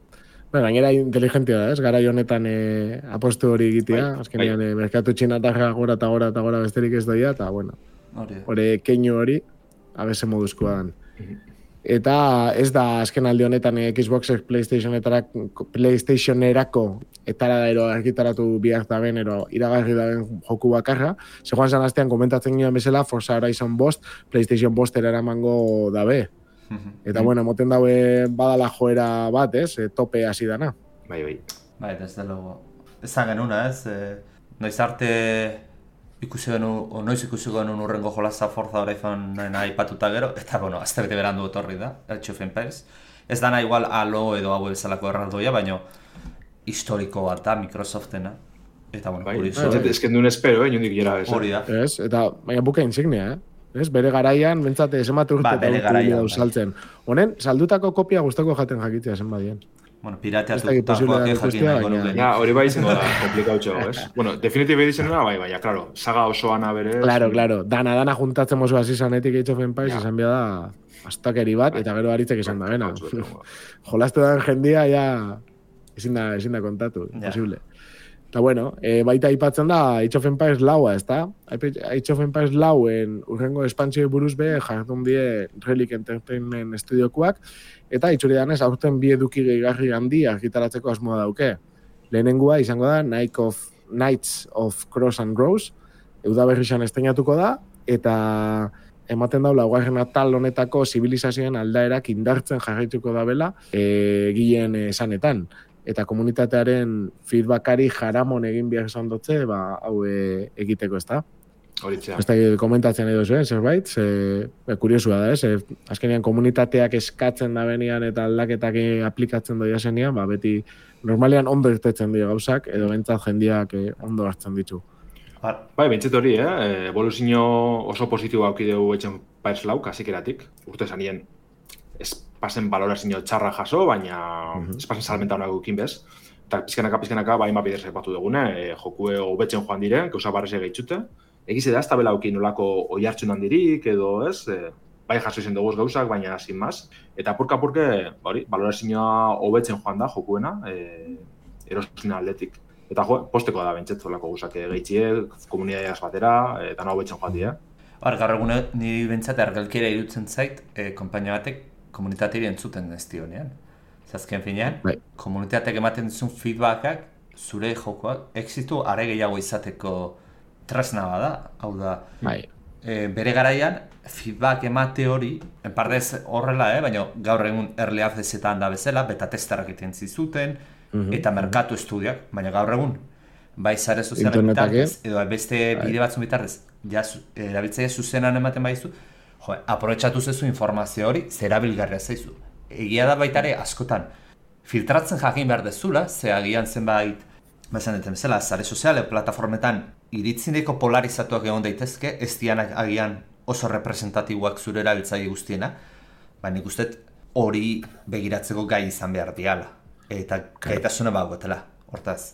Ba, gainera inteligentia da, ez? Garai honetan e, apostu hori egitea, Bai, azkenean bai. e, merkatu txinatarra gora eta gora eta gora besterik ez doia, eta, bueno, Hori. hori keinu hori, abese moduzkoa dan. Eta ez da azken aldi honetan eh, Xboxek PlayStationetarako PlayStationerako etara da ero argitaratu bihar da ben, ero iragarri da ben joku bakarra. Se joan zan astean komentatzen ginen bezala, Forza Horizon bost, PlayStation bostera eramango dabe. Eta bueno, moten dabe badala joera bat, ez? E, tope hasi dana. Bai, bai. Bai, desde luego. Ezan genuna, ez? E, noiz arte ikusi genu, noiz ikusi genuen urrengo jolaza Forza Horizonen aipatuta gero, eta, bueno, aztebete berandu etorri da, Age of Empires. Ez dana igual Halo edo hau bezalako erraldoia, baina historiko bat da Microsoftena. Eta, bueno, bai, kurizo. bai, ez kendun espero, eh, niondik gera ez. Hori da. Ez, eta baina buka insignia, eh? Ez, bere garaian, bentsate, esemat urte Ba, eta bere urte garaian, dau bai. saltzen. Honen, saldutako kopia guztako jaten jakitzea zen badien. Bueno, Ez dakit pirateatuta posible da jakin ikustea, nahiko baina- nuke. Ja, hori bai izango da, komplikautxo, ez? Bueno, Definitive Editionena, bai, baina, claro, saga osoana bere... Claro, claro, dana, dana juntatzen mozu hasi zanetik Age of Empires, Ja. izan behar da astakeri bat, eta gero aritzek izan da, bena. Komplikautxo, Jolastu den jendia, ja, ezin da, ezin da kontatu, Ja. imposible. Eta bueno, e, baita aipatzen da Age of Empires laua, ezta? Age of Empires lauen urrengo espantsioi buruz be jardun die Relic Entertainment estudiokoak, eta itxuri danez aurten bi eduki gehigarri handi argitaratzeko asmoa dauke. Lehenengua izango da Night of, Knights of Cross and Rose, udaberrixan esteinatuko da, eta ematen dau laugarren atal honetako zibilizazioen aldaerak indartzen jarraituko dabela e, gilen esanetan. Eta komunitatearen feedbackari jaramon egin behar esan dutze, ba, hau e, egiteko, ez da? Hori txea. Ez da komentatzen edo zuen, zerbait, ze, be, kuriosua da, ez? E, azkenean komunitateak eskatzen da benian eta aldaketak aplikatzen doia zenian, ba, beti normalean ondo irtetzen dira gauzak, edo bentsat jendiak e, ondo hartzen ditu. Ba, Bai, bintzet hori, eh? Evoluzio oso positibo haukideu etxen Empires lau, kasikeratik. Urte zanien, ez pasen balorazio txarra jaso, baina Mhm. ez pasen salmenta honak gukin bez. Eta pizkanaka, pizkanaka, bai, mapider sepatu dugune, e, jokue hobetzen joan diren, gauza barreze gehitzute. Egize da, ez da bela aukin nolako oihartzun handirik, edo ez, e, bai jaso izen dugu gauzak, baina sin más. Eta apurka-apurke, hori, balorazioa hobetzen joan da, jokuena, e, erosuna atletik. Eta jo, posteko da bentzet, zolako gauzak gehitzie, komunidadiaz batera, eta nahi hobetzen joan dira. Hor, gaur egune niri bentsat argalkera irutzen zait, e, konpainia batek komunitateari entzuten ez dionean. Zazken finean, Bai. komunitateak ematen dizun feedbackak, zure jokoak, exitu are gehiago izateko tresna bada, hau da, Bai, e, bere garaian, feedback emate hori, enpardez horrela, eh? baina gaur egun early accessetan da bezala, beta testerak egiten zizuten, Mhm. eta merkatu estudiak, baina gaur egun, bai sare sozialen Internetak, bitartez, edo beste Bai. bide batzun bitartez, ja, zu- erabiltzaile zuzenan ematen baizu, jo, aprobetxatu zezu informazio hori, zerabilgarria zaizu. Egia da baita ere askotan, filtratzen jakin behar dezula, ze agian zenbait, bezan deten bezala, sare soziale, plataformetan, iritzineko polarizatuak egon daitezke, ez dianak agian oso representatiboak zure erabiltzaile guztiena, baina nik uste hori begiratzeko gai izan behar diala. Eta gaitasuna bagotela, hortaz,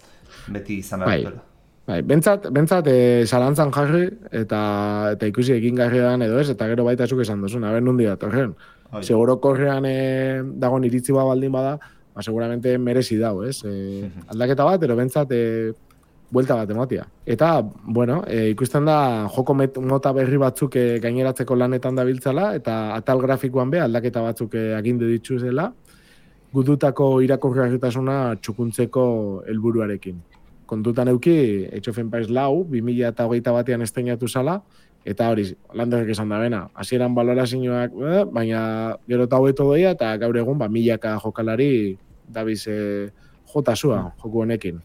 beti izan behar Bai. dutela. bai, bentsat, bentsat e, zalantzan jarri, eta, eta ikusi egin garrian edo ez, eta gero baita zuk esan duzun, haber nundi datorren. Bai. Seguro korrean e, dagoen iritzi bat baldin bada, ba, seguramente merezi dau, ez? E, aldaketa bat, ero bentsat e, buelta bat ematia. Eta, bueno, e, ikusten da joko met, mota berri batzuk e, gaineratzeko lanetan dabiltzala, eta atal grafikoan be aldaketa batzuk e, agindu dituzela, gututako irakurgarritasuna txukuntzeko helburuarekin. Kontutan euki, Age of Empires lau, bi mila hogeita batean esteinatu zala, eta hori, landerrek esan da bena, hasieran balorazioak, eh, baina gero eta hobeto doia, eta gaur egun, ba, milaka jokalari dabiz e, jotasua joku honekin.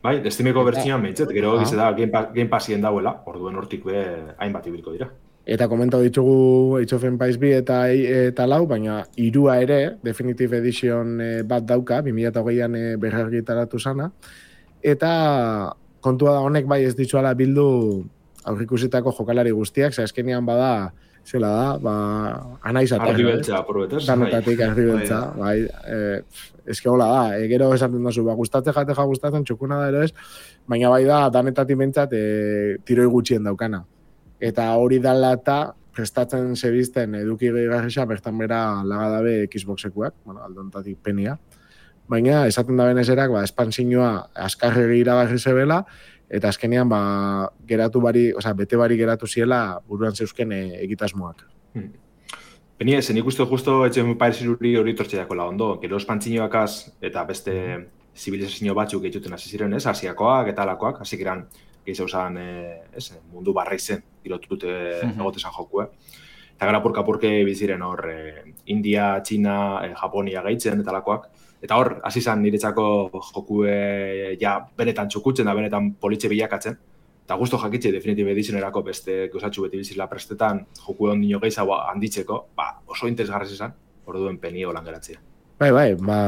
Bai, Steameko bertsioan behintzet, gero Ah. egize da Game, Pa- Game Passien dauela, orduen hortik be hainbat ibiliko dira. Eta komentau ditugu Age of Empires bi eta, eta lau, baina hirua ere, Definitive Edition eh, bat dauka, bi mila hogeian e, berrargitaratu sana, eta kontua da honek bai ez ditzuala bildu aurrikusitako jokalari guztiak, ze azkenean bada, zela da, ba, anaizatea. Argi beltza, aprobetez. Danotatik argi beltza, bai, e, eske hola da, e, gero esaten duzu, ba, gustatzen jateja gustatzen, txukuna da ero ez, baina bai da, danetatik bentsat, e, tiroi gutxien daukana. Eta hori dala eta prestatzen zebizten eduki gehiagarrisa bertan bera lagadabe Xboxekuak, bueno, aldontatik penia. Baina, esaten da benezerak, ba, espansioa askarregi iragarri zebela, eta azkenean, ba, geratu bari, osea, bete bari geratu ziela buruan zeuzken e, egitasmoak. Hmm. Benia, zen ikustu justo etxe Empires iruri hori tortxeako la ondo. Gero espantzinoakaz eta beste zibilizazio batzuk egiten hasi ziren, ez? Asiakoak eta alakoak, hasi geran gehiago zan, e, ez, mundu barra izen, girotute Mhm. egotezan jokue. Eta gara purka-purke biziren hor, e, India, Txina, e, Japonia gaitzen eta alakoak. Eta hor, hasi zan niretzako jokue ja benetan txukutzen da benetan politxe bilakatzen. eta gusto jakitxe Definitive Editionerako beste gauzatxu beti bizila prestetan joku ondino gehiago handitzeko, ba, oso interesgarrez izan, orduen penio lan geratzea. Bai, bai, ba,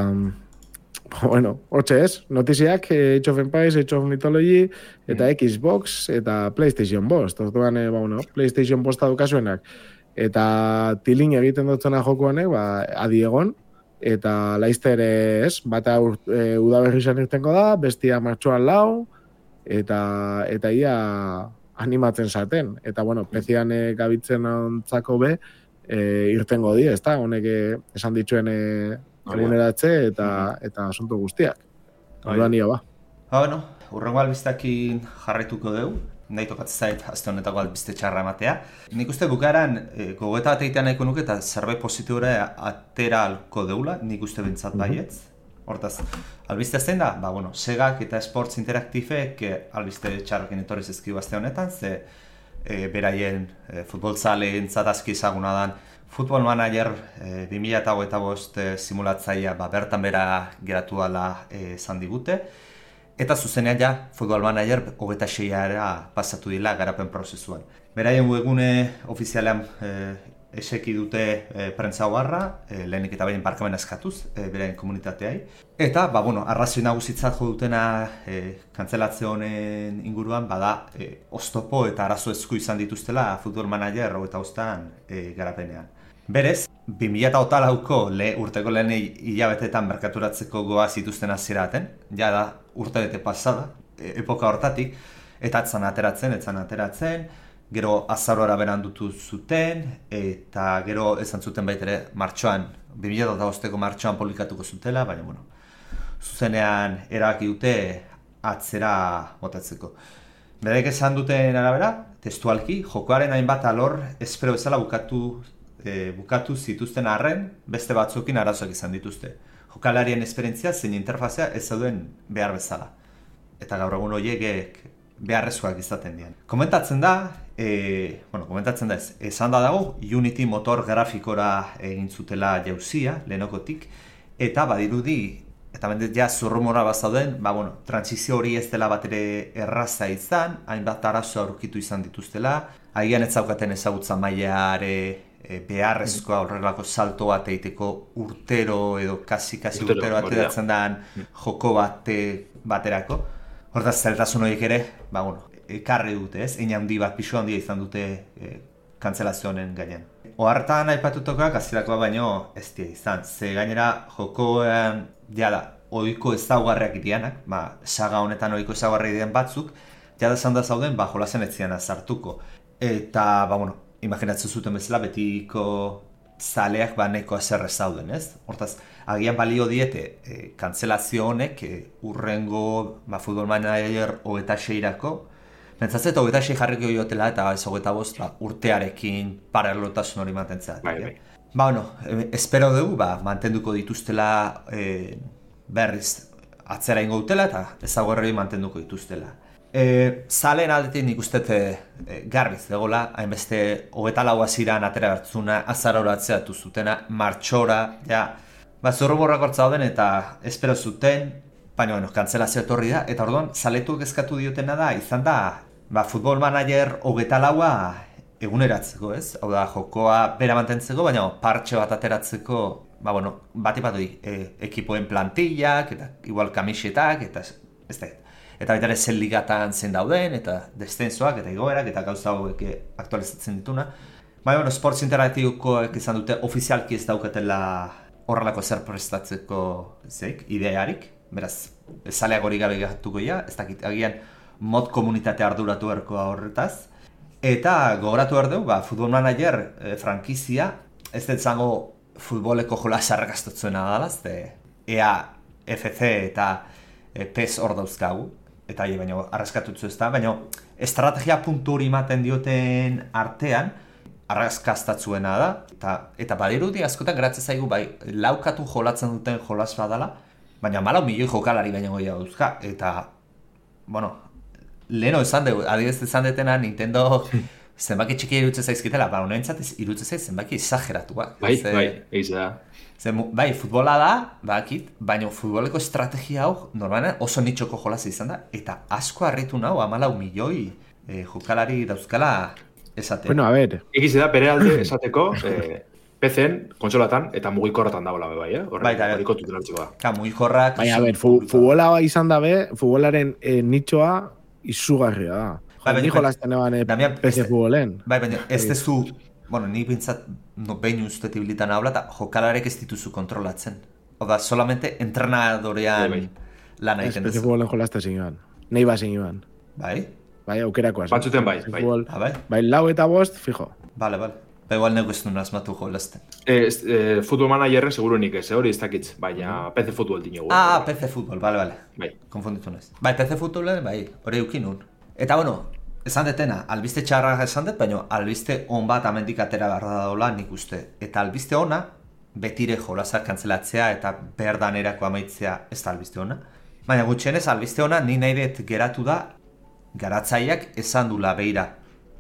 bueno, hortxe ez, notiziak, Age of Empires, Age of Mythology, eta mm. Xbox, eta PlayStation bost, orduan, ba, bueno, PlayStation bosta dukasuenak, eta tilin egiten dutzena joku honek, ba, adi egon, eta laizter ez, bata e, udaberri izan irtengo da, bestia martxoan lau, eta eta ia animatzen zaten. Eta, bueno, pezian e, gabitzen ontzako be, e, irtengo di, ez da, honek esan dituen e, eguneratze eta, eta asunto guztiak. Orduan ia ba. Ha, bueno, urrengo albistakin jarraituko dugu, nahi tokatzen zait azte honetako albiste txarra ematea. Nik uste bukaeran e, gogoeta bat egitea nahiko nuke eta zerbait positibora atera alko deula, nik uste bintzat baietz. Hortaz, albiste zein da? Ba, bueno, Segak eta Sports Interactifek albiste txarrekin etorri zizkigu azte honetan, ze e, beraien e, futbolzaleen zatazki ezaguna dan Football Manager e, bi mila hogeita bost e, simulatzaia ba, bertan bera geratu ala esan digute. Eta zuzenean ja, Football Manager hogeita seiara pasatu dila garapen prozesuan. Beraien webgune ofizialean e, eseki dute e, prentza hogarra, e, lehenik eta behin barkamen eskatuz, e, beraien komunitateai. Eta, ba, bueno, arrazoi nagusitzat jo dutena e, kantzelatze honen inguruan, bada, e, oztopo eta arazo esku izan dituztela Football Manager hogeita bostan e, garapenean. Berez, bi mila hogeita lauko le, urteko lehen hilabetetan merkaturatzeko goa zituzten hasieraten, ja da urtebete pasada, e, epoka hortatik, eta atzan ateratzen, etzan ateratzen, gero azarora berandutu zuten, eta gero esan zuten baitere martxoan, bi mila hogeita bosteko martxoan publikatuko zutela, baina, bueno, zuzenean erabaki dute atzera botatzeko. Berek esan duten arabera, testualki, jokoaren hainbat alor espero bezala bukatu E, bukatu zituzten arren, beste batzukin arazoak izan dituzte. Jokalarien esperientzia zein interfazea ez zauden behar bezala. Eta gaur egun horiek beharrezkoak izaten dian. Komentatzen da, e, bueno, komentatzen da ez, esan da dago, Unity motor grafikora egin zutela jauzia, lehenokotik, eta badirudi, eta bendet ja zurrumora bazauden, ba, bueno, transizio hori ez dela bat ere erraza izan, hainbat arazo aurkitu izan dituztela, agian ez zaukaten ezagutza maileare beharrezkoa horrelako salto bat egiteko urtero edo kasi-kasi urtero, urtero bat edatzen daan joko bate, baterako. Hortaz, zeltasun horiek ere, ba, bueno, ekarri dute, ez? Ein handi bat, pisu handia izan dute e, kantzelazio honen gainean. Ohartan aipatutokoak azirakoa baino ez dira izan, ze gainera jokoan, jada, ohiko ezaugarriak irianak, ba, saga honetan ohiko ezaugarri diren batzuk, jada esan da zauden, ba, jolazen etzian azartuko. Eta, ba, bueno, imaginatzen zuten bezala betiko zaleak ba neko azerre zauden, ez? Hortaz, agian balio diete e, kantzelazio honek e, urrengo ba, Football Manager hogeita seirako, mentzatzet hogeita sei jarriko jotela eta ez hogeita bost ba, urtearekin paralelotasun hori mantentzea. Bai, bai. Ba, bueno, e, espero dugu, ba, mantenduko dituztela e, berriz atzera ingo dutela eta ezaugarri mantenduko dituztela. E, Zalen aldetik nik uste e, garbiz dagoela, hainbeste hogeita lau hasiran atera bertzuna, azarora atzeatu zutena, martxora, ja, ba, zorroborrak hortza dauden eta espero zuten, baina, bueno, kantzelazio etorri da, eta orduan, zaletuak eskatu diotena da, izan da, ba, Football Manager hogeita laua eguneratzeko, ez? Hau da, jokoa bera mantentzeko, baina partxe bat ateratzeko, ba, bueno, bati bat hori, e, ekipoen plantillak, eta igual kamisetak, eta ez da, eta baita ere zen ligatan zen dauden, eta descensoak, eta igoerak, eta gauza hauek aktualizatzen dituna. Baina, bueno, Sports Interactivekoek izan dute ofizialki ez daukatela horrelako zer prestatzeko zeik, idearik, beraz, zaleak hori gabe gatuko ja, ez dakit, agian mod komunitate arduratu erkoa horretaz. Eta gogoratu behar dugu, ba, Football Manager e, frankizia, ez dut zango futboleko jola sarrakastotzena dala, E A, F C eta e, P E S hor dauzkagu. Eta hie, baina arraskatutzu ez da, baina estrategia puntu hori ematen dioten artean arraskaztatzuena da, eta, eta badirudi askotan geratzen zaigu bai laukatu jolatzen duten jolas badala, baina malau milioi jokalari baina goia dauzka, eta, bueno, leheno esan dugu, adibidez esan detena Nintendo zenbaki txiki irutzen zaizkitela, ba, honentzat irutzen zaiz zenbaki exageratuak. Bai, ze, bai, eiz da. Ze, bai, futbola da, bakit, baina futboleko estrategia hau, normalan oso nitxoko jolaz izan da, eta asko harritu nahu, hamalau milioi e, jokalari dauzkala esatea. Bueno, a ver. Egize da, bere alde esateko, eh, P C-en, kontsolatan eta mugikorratan dagoela bai, eh? Horre, Baita, horiko tutela utziko da. Ka, mugikorrak... Baina, a ver, fu, futbola izan dabe, futbolaren eh, nitxoa izugarria da. Bai, Jo, ni jolasten eban eh, Damian, P C este- futbolen. Bai, baina ez dezu, bueno, ni bintzat no, behin uste tibilitan habla, eta jokalarek ez dituzu kontrolatzen. Oda, solamente entrenadorean Bai, bai. lan Ez egiten P C duzu. futbolen jolazte zingan. Nei bazen iban. Bai? Bai, aukerakoa. Batzuten bai, bai. Ah, bai? Bai, lau eta bost, fijo. Bale, bale. Ba, igual negu ez duen asmatu jolazten. Eh, eh, futbol managerren segurunik ez, eh, hori ez dakitz, baina P C futbol dinogu. Ah, P C Futbol, bale, bale. Bai. Konfunditu naiz. Bai, P C Futbolen, bai, hori eukin nun. Eta, bueno, esan detena, albiste txarra esan dut, baina albiste on bat amendik atera behar da daula nik uste. Eta albiste ona, betire jolazak kantzelatzea eta behar danerako amaitzea ez da albiste ona. Baina gutxienez, albiste ona, ni nahi dut geratu da, garatzaileak esan dula beira.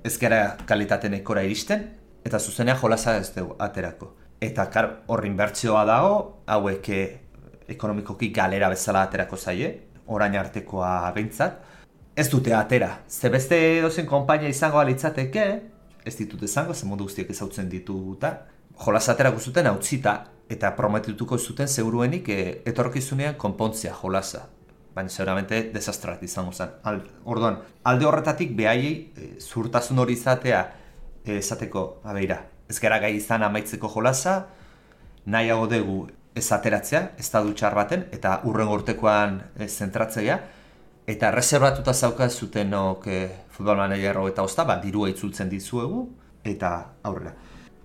Ez gara kalitate nekora iristen, eta zuzenea jolaza ez dugu aterako. Eta kar, horrin bertzioa dago, hauek eh, ekonomikoki galera bezala aterako zaie, orain artekoa behintzat. Ez dute atera, ze beste dozen konpainia izango alitzateke, ez ditut izango, ze mundu guztiak ezautzen dituta, jolaza aterako zuten hautzita, eta prometituko zuten seguruenik eh, etorkizunean konpontzea jolaza. Baina seguramente desastrat izango zen. Al, orduan, alde horretatik behaiei e, zurtasun hori izatea e, esateko, abeira, ez gara gai izan amaitzeko jolaza, nahiago dugu ez ateratzea, ez da dutxar baten, eta urren urtekoan e, zentratzea, eta reservatuta zauka zutenok e, futbol manager eta osta, ba, dirua itzultzen dizuegu, eta aurrera.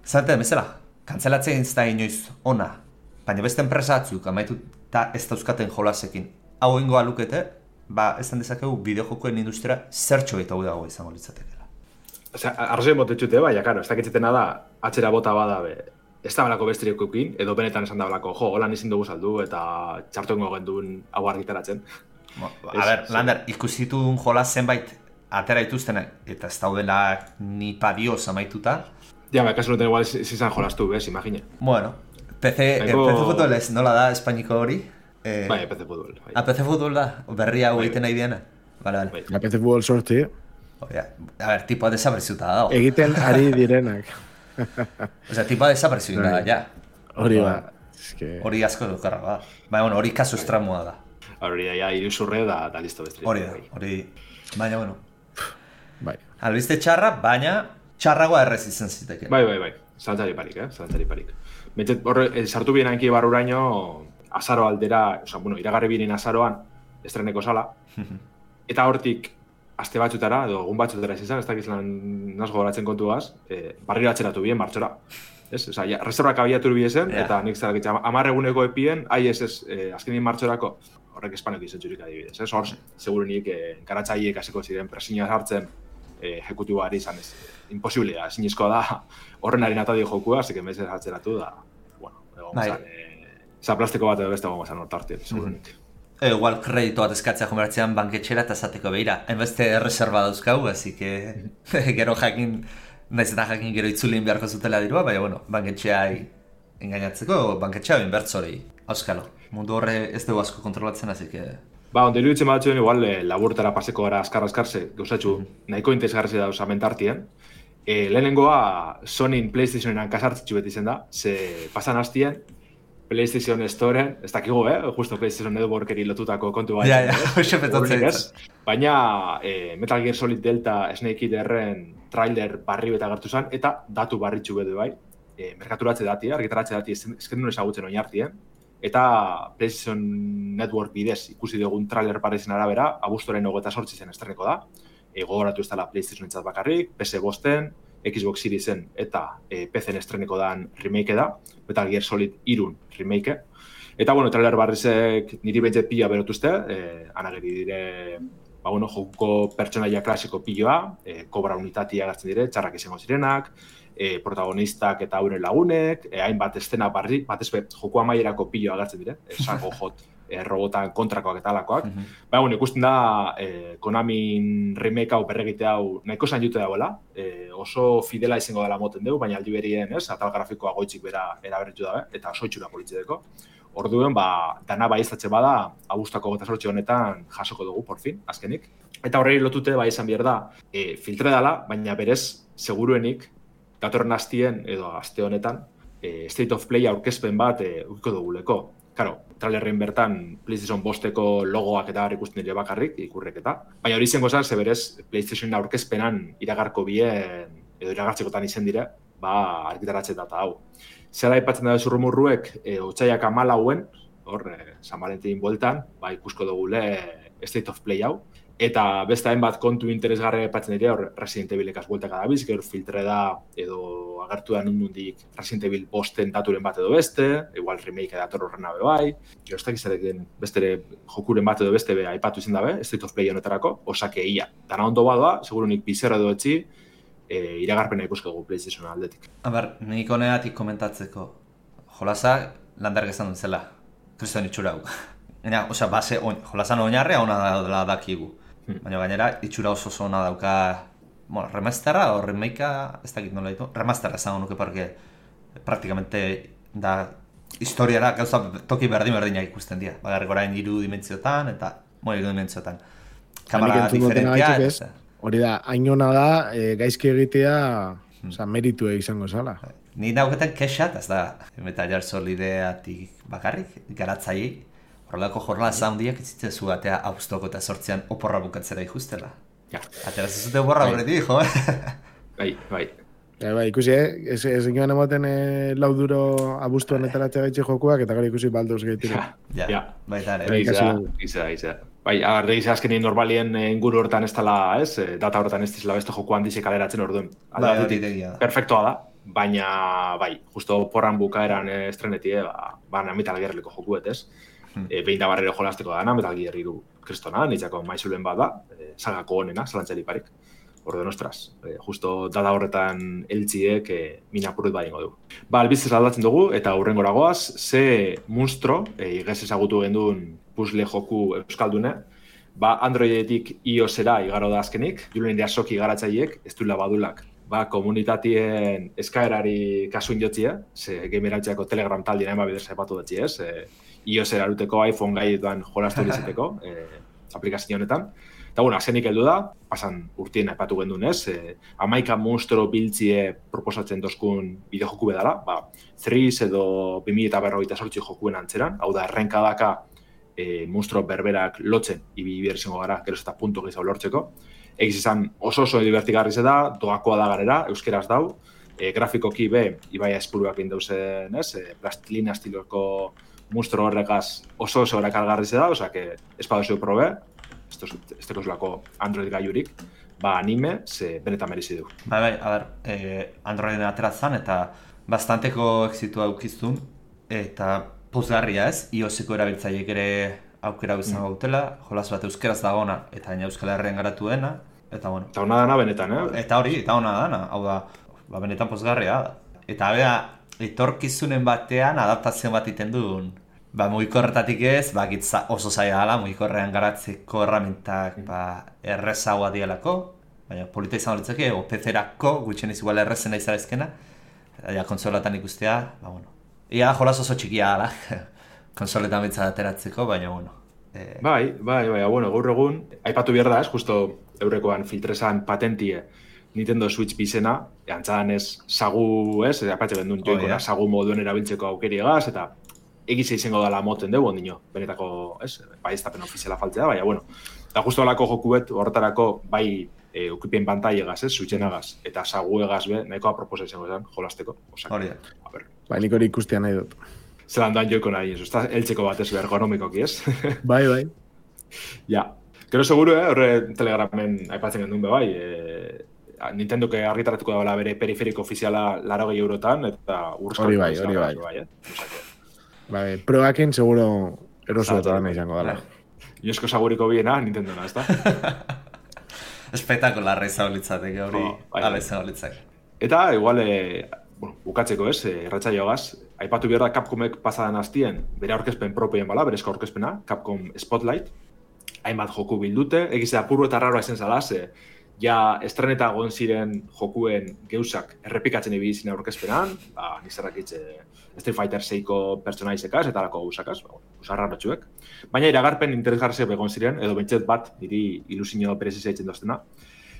Zaten, bezala, kantzelatzea ez da inoiz ona, baina beste enpresa batzuk amaitu eta ez dauzkaten jolasekin. Hau ingoa lukete, ba, esan dezakegu bideojokoen industria zertxo eta dago izango litzatekela. Osea, arrazoen botetxute, bai, karo, ez dakitzetena da, atxera bota bada, be, ez da balako bestirikokin, edo benetan esan da balako, jo, holan izin dugu saldu, eta txartuengo genduen hau argitaratzen. Bo, a ber, Lander, ikusitun jola zenbait atera ituztenak, eta ez daudela ni padioz amaituta. Ja, ba, kasu nuten igual izan jolastu, bez, imagine. Bueno, P C, Eko... P C Futbol ez, nola da espainiko hori? Eh, Bai, P C futbol. Bai. Ah, P C Futbol da, berria hau Bai. egiten nahi diana. Vale, vale. Bai. La P C futbol sorti, Oia, a ber, tipoa desapareciuta dago. egiten ari direnak. Osea, tipoa desapareciuta da, Bai. ja. Hori ba. eske... Hori asko dokarra da. Baina, bueno, hori kasu estramoa da. Hori, ja, iruzurre da, da listo bestri. Hori da, hori... Baina, bueno, Bai. albiste txarra, baina txarragoa errez izan ziteke. Bai, bai, bai. Zalantzari parik, eh? Zalantzari parik. Betzet, horre, eh, sartu bien hanki barruraino, azaro aldera, oza, bueno, iragarri binen azaroan, estreneko sala, eta hortik, aste batzutara, edo egun batzutara izan, ez dakiz lan nazgo goratzen kontuaz, eh, barriro atzeratu bien, martxora. Ez? Oza, ja, reservak abiatu biesen, Ja. eta nik zarakitza, amar eguneko epien, ai ez ez, eh, azkenin martxorako, horrek espanok izan txurik adibidez, ez? Hor, segurunik, eh, enkaratzailek hasiko ziren presiña hartzen, eh, ejecutiboari izan ez, imposiblea, ezinezkoa da, horren harin atadi jokua, así que meses atzeratu da, bueno, egon Bai. zan, eh, za plastiko bat edo beste egon zan hortartien, segurunik. E, igual kreditu bat eskatzea jomeratzean banketxera eta esateko behira. Hainbeste erreserba dauzkau, así que gero jakin, naiz eta jakin gero itzulin beharko zutela dirua, baina bueno, banketxeai engainatzeko, banketxea inbertzorei. Auskalo, mundu horre ez dugu asko kontrolatzen, así que... Ba, ondo iruditzen batzuen igual eh, laburtara paseko gara askar-askarze, gauzatxu, nahiko interesgarri dauz amentartien. E, lehenengoa Sonyin PlayStationeran kasartzitzu beti zen da, ze pasan hastien, PlayStation Storen, ez dakigu, eh? Justo PlayStation Networkeri lotutako kontu bat. Ja, ja, hoxe petatzen ez? Baina eh, Metal Gear Solid Delta Snake Eaterren trailer barri beta gertu zen, eta datu barritxu bedu bai. E, merkaturatze dati, argitaratze dati esken ezagutzen oin hartien. Eta PlayStation Network bidez ikusi dugun trailer parezen arabera, abuztoren hogeita sortzi zen estreneko da. E, gogoratu ez dela PlayStation entzat bakarrik, P C bosten, Xbox Seriesen eta e, P C-en estreneko dan remake da, Metal Gear Solid irun remake. Eta, bueno, trailer barrizek niri bentzet pila berotuzte, e, anageri dire, ba, bueno, jokuko pertsonaia klasiko piloa, e, kobra unitatia gartzen dire, txarrak izango zirenak, e, protagonistak eta euren lagunek, e, hainbat estena barri, batez be, joku amaierako piloa gartzen dire, e, sango jot, e, robotan kontrakoak eta alakoak. Mm -hmm. Baina, bueno, ikusten da, e, Konamin remake hau berregite hau nahiko zain jute dagoela, e, oso fidela izango dela moten dugu, baina aldi berien, ez, atal grafikoa goitzik bera eraberritu dabe, eta oso itxura politzedeko. Orduen, ba, dana baieztatze bada, abuztako gota sortxe honetan jasoko dugu, por fin, azkenik. Eta horrei lotute, bai esan behar da, e, filtre dela, baina berez, seguruenik, datorren astien, edo aste honetan, e, State of Play aurkezpen bat e, ukiko duguleko. Karo, trailerren bertan PlayStation bosteko logoak eta ikusten dira bakarrik, ikurrek eta. Baina hori izango zan, ze berez, PlayStation aurkezpenan iragarko bien, edo iragartzekotan izen dire, ba, argitaratzen data hau. Zera aipatzen da zurrumurruek, e, otsaiak amalauen, hor, e, San Valentin bueltan, ba, ikusko dugule State of Play hau. Eta beste hainbat kontu interesgarri aipatzen dira, hor Resident Evilekaz bueltaka dabiz, gero filtre da, edo agertu da nundik Resident Evil bosten daturen bat edo beste, igual remake dator horren abe bai, gero ez dakizarekin bestere jokuren bat edo beste be aipatu izan dabe, State of Play honetarako, osake ia. Dana ondo badoa, segurunik bizarra edo etxi, e, iragarpena ikusko dugu PlayStation aldetik. Aber, nik honeatik komentatzeko, jolasa landark esan dut zela, kriston itxura hau. Ena, osea, base, on, jolasan oinarrea ona da dakigu. Baina gainera, itxura oso oso ona dauka, bueno, remasterra o remakea, ez dakit nola ditu, remasterra esango nuke porque praktikamente da historiara gauza toki berdin-berdina ikusten dira. Bagarrik orain hiru dimentsiotan eta mo hiru dimentsiotan. Kamera diferentia. Hori da, hain ona da, e, gaizki egitea, hmm. oza, meritu izango zala. Ni dauketan kexat, ez da, Metal Gear Solideatik bakarrik, garatzaiei, horrelako jornala zaundiak itzitzen zu atea austoko eta sortzean oporra bukatzera ikustela. Ja. Ateraz ez dute oporra horretik, jo, Bai, bai. Ja, bai, ikusi, eh? Ez, ez inoan emoten eh, lauduro abuztuan etaratzea gaitxe jokuak, eta gara ikusi balduz gaitire. Ja, ja. Baita ere. Giza, giza, giza. Bai, agarde giza azkenien normalien inguru hortan ez dela, ez? Data hortan ez dizela beste joku handizek kaleratzen orduen. Bai, hori tegia da. Perfektoa da, baina, bai, justo porran bukaeran estrenetie, ba, ba Metal Gearreko jokuet, ez? Hmm. E, behin da barrero jolazteko dana, Metal Gear hiru kristona, nitzako maizulen bat da, e, sagako honena, zalantzari parik. Orden, ostras, e, justo data horretan eltziek e, minapurut badingo du. Ba, albiziz aldatzen dugu, eta hurrengora goaz, ze monstro, e, igez ezagutu genduen puzzle joku euskaldune, ba, Androidetik iOS-era igaro da azkenik, julen diasoki garatzaiek, ez duela badulak, ba, komunitatien eskaerari kasuin jotzia, ze gamerantziako Telegram taldien ema bidez epatu datzi ez, e, iOS eraruteko, iPhone gaietan jolastu dizeteko, eh, aplikazio honetan. Eta, bueno, azenik heldu da, pasan urtien aipatu gendun ez, eh, amaika monstro biltzie proposatzen dozkun bideojoku bedala, ba, Threes edo bi mila berrogeita zortzi jokuen antzeran, hau da, errenkadaka eh, monstro berberak lotzen, ibi berzengo gara, gero eta punto gizau lortzeko. Egiz izan oso oso divertigarri ze da, doakoa da garera, euskeraz dau, eh, grafikoki be, ibaia espuruak indauzen ez, eh, plastilina estiloko monstro horrekaz oso oso erakargarri da, oza, que espadozio probe, ez tekozulako Android gaiurik, ba anime, ze benetan merizi du. Bai, bai, a ber, eh, Androiden aterazan eta bastanteko exitua aukiztun, eta pozgarria ez, iOS-eko erabiltzaileek ere aukera izango mm. gautela, jolas bat euskeraz dagona, eta baina Euskal Herrian garatu dena, eta bueno. Eta hona dana benetan, eh? Eta hori, eta hona dana, hau da, ba, benetan pozgarria da. Eta bera, etorkizunen batean adaptazio bat iten duen. Ba, mugikorretatik ez, ba, gitza oso zaila dela, mugikorrean garatzeko erramintak ba, errezagoa dialako, baina polita izan horitzake, o P C-erako, gutxen ez igual errezena izalezkena, eta ja, konsolatan ikustea, ba, bueno. Ia da jolas oso txikia dela, konsoletan bitza ateratzeko, baina, bueno. Eh... Bai, bai, bai, bueno, gaur egun, aipatu behar da ez, justo eurekoan filtrezan patentie Nintendo Switch bizena, antzadan ez, sagu, ez, apatxe bendun joikora, oh, yeah. sagu moduen erabiltzeko aukeriegaz, eta egize izango dela moten dugu, ondino, benetako, ez, bai ez tapen ofiziala faltzea, baina, bueno, eta justo alako jokuet horretarako bai e, ukipien pantaiegaz, ez, suitzenagaz, eta saguegaz be, nahikoa proposa izango zen, jolasteko. Hori da. Bai, nik hori ikustia nahi dut. Zelan doan joiko nahi, ez, ez eltzeko bat ez ergonomikoki, ez? Bai, bai. Ja, gero seguru, eh, horre Telegramen aipatzen gendun be bai, e, Nintendo que argitaratuko dagoela bere periferiko ofiziala larogei eurotan, eta urskak. Hori bai, hori bai. bai eh? Bai, proakin seguro eroso eta dana izango dela. Iosko saguriko biena, Nintendona, ez da? Espetakularra izango litzateke hori, oh, ala izango litzake. Eta, igual, e, bueno, bukatzeko ez, erratzaioagaz, aipatu behar da Capcomek pasadan hastien, bere aurkezpen propioen bala, berezko aurkezpena, Capcom Spotlight, hainbat joku bildute, egizea puru eta raroa izen zala, ze ja estreneta egon ziren jokuen geusak errepikatzen ibili ziren aurkezpenan, ba, nizarrakitze Street Fighter seiko pertsonaizekaz eta alako gauzakaz, ba, usarra ratxuek. Baina iragarpen interesgarriak egon ziren, edo bentsat bat, niri ilusio perezi zaitzen doztena.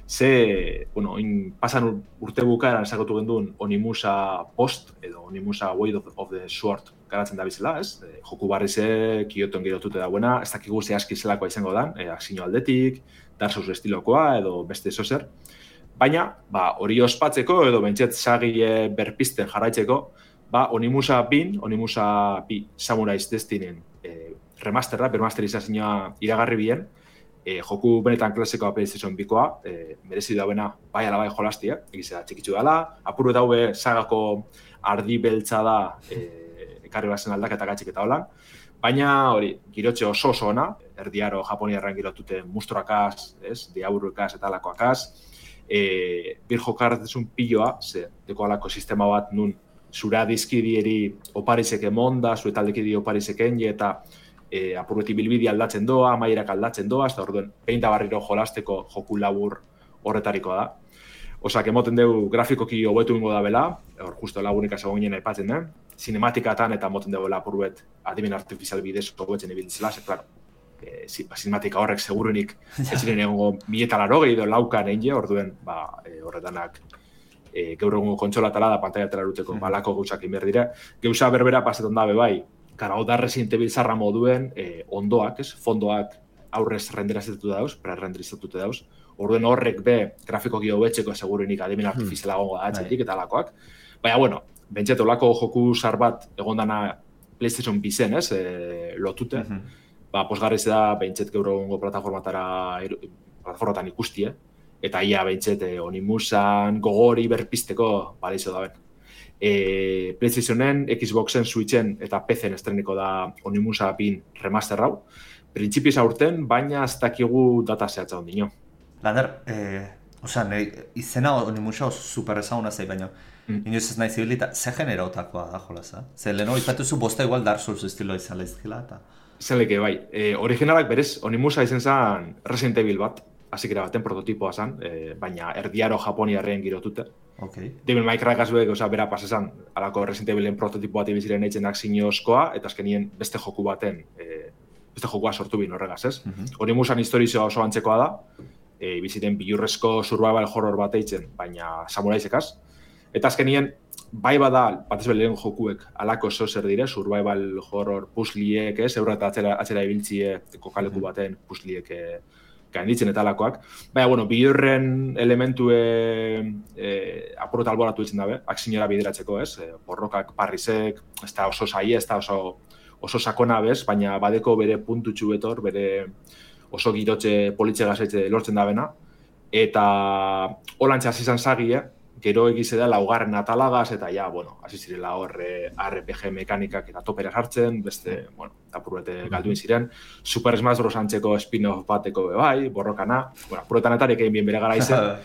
Ze, bueno, in, pasan urte bukaeran esakotu genduen Onimusa Post, edo Onimusa Way of, of the Sword garatzen da bizela, ez? E, joku barrize, Kyoton girotute dagoena, ez dakigu zehazki zelakoa izango dan, e, akzio aldetik, Dark Souls estilokoa, edo beste zozer. Baina, ba, hori ospatzeko, edo bentsat sagile berpisten jarraitzeko, ba, Onimusa bin, Onimusa bi Samurai's Destiny e, remasterra, bermasterizazioa iragarri bien, e, joku benetan klasikoa PlayStation bikoa, e, merezi dauena bai ala bai jolastia, egizera txikitzu dela, apuru eta hube sagako ardi beltza da e, ekarri bazen aldaketa gatxik eta holan, baina hori, girotxe oso oso ona, erdiaro japoniarren girotute musturakaz, ez, diaburukaz eta alakoakaz, e, bir jokarretezun piloa, ze, deko alako sistema bat nun zura dizkidieri oparizek emonda, zure taldekidi oparizek enje, eta e, apurreti bilbidi aldatzen doa, amaierak aldatzen doa, eta orduen, peinta barriro jolasteko joku labur horretarikoa da. Osak, emoten dugu grafikoki hobetu ingo da bela, hor justo lagunik asegon ginen aipatzen, eh? Cinematikatan eta emoten dugu lapurbet adimen artifizial bidez hobetzen ibiltzela, ze, klaro, e, cinematika horrek segurunik ez ziren egongo mieta laro gehiago laukan egin, orduen, ba, e, horretanak E, gaur egungo kontsolatala da pantaiatela eruteko balako gauzak inber dira. Gauza berbera pasetan dabe bai, kara, oda Resident Evil zarra moduen e, ondoak, ez, fondoak aurrez renderizatutu dauz, pre-renderizatutu dauz. Orduen horrek be, grafikoki hobetzeko segurunik adimen artifiziala gongo da atxetik eta alakoak. Baina, bueno, bentsat olako joku zar bat egondana PlayStation bizen, ez, e, lotute. Ba, posgarriz da, bentsat gaur egungo plataformatara, plataformatan ikustie. Eta ia behintzet eh, Onimusan gogori berpisteko balizo daben. E, PlayStationen, Xboxen, Switchen eta P C-en estreniko da Onimusa bin remaster hau. Printzipioz aurten, baina ez dakigu data zehatza ondino. Lander, eh, oza, izena Onimusa oso super ezaguna zei, baina mm. inoiz ez nahi zibilita, ze genera otakoa da jolaza? Ze leheno ipatuzu bosta igual Dark Souls estilo izan lehizkila eta... Zeleke, bai. E, originalak berez, Onimusa izen zen Resident Evil bat. Azikera baten prototipoa zen, eh, baina erdiaro japoniarren girotute. Okay. Devil May Cry kasuek, oza, bera pasesan, alako Resident Evilen prototipo bat ibiziren eitzen akzinozkoa, eta azkenien beste joku baten, eh, beste jokua sortu bin horregaz, ez? Mm-hmm. Onimusan historizioa oso antzekoa da, eh, ibiziren bilurrezko survival horror bat eitzen, baina samuraizekaz. Eta azkenien, bai bada, batez belen jokuek, alako zozer dire, survival horror pusliek, ez? Eurra eta atzera, atzera ibiltzie, kokaleku baten pusliek, eh, gainditzen eta alakoak. Baina, bueno, bilurren elementue e, apurrota alboratu ditzen dabe, akzinora bideratzeko, ez? E, borrokak parrizek, ez da oso saie, ez da oso, oso sakona bez, baina badeko bere puntutxu betor, bere oso girotxe politxe gazetxe lortzen dabena. Eta holantxe hasi izan zagie, gero egize da laugarren atalagaz, eta ja, bueno, hasi zirela hor R P G mekanikak eta topera sartzen, beste, bueno, apurrete galduin ziren. Super Smash Bros. Antzeko spin-off bateko bai, borrokana, bueno, apurretan etarik egin bien bere gara izen.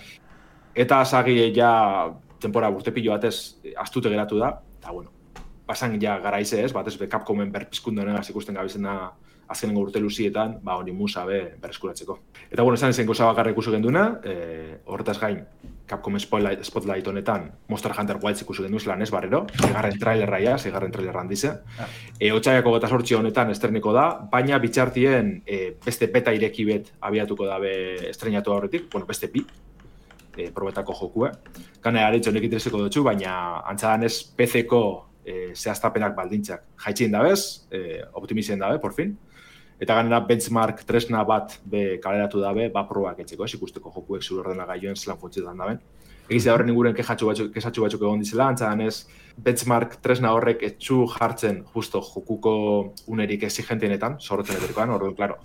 Eta zagi ja, tempora burtepillo batez, astute geratu da, eta bueno, pasan ja gara ize ez, batez be Capcomen berpizkundu honegaz ikusten gabizena azkenengo urte luzietan, ba, Onimusa be berreskuratzeko. Eta bueno, esan zen goza bakarra ikusu genduna, e, horretaz gain, Capcom Spotlight, Spotlight honetan Monster Hunter Wilds ikusu gendu zelan ez barrero, segarren trailerra ja, segarren trailerra handize. E, Otsaiako gota sortzi honetan estreniko da, baina bitxartien e, beste beta ireki bet abiatuko dabe estrenatu horretik, bueno, beste bi, e, probetako jokue. Gane haritxo honek intereseko dutxu, baina antzadan ez P C-ko e, zehaztapenak baldintzak jaitxien dabez, e, optimizien dabe, por fin. Eta ganera benchmark tresna bat be kaleratu dabe, ba probak etxeko, ez ikusteko jokuek zure ordenagailoen zelan funtzionetan daben. Egizia horren inguren kexatxu batzuk, kexatxu batzuk egon dizela, antzadan ez benchmark tresna horrek etxu jartzen justo jokuko unerik exigentienetan, zorrotzen eterikoan, orduan, klaro,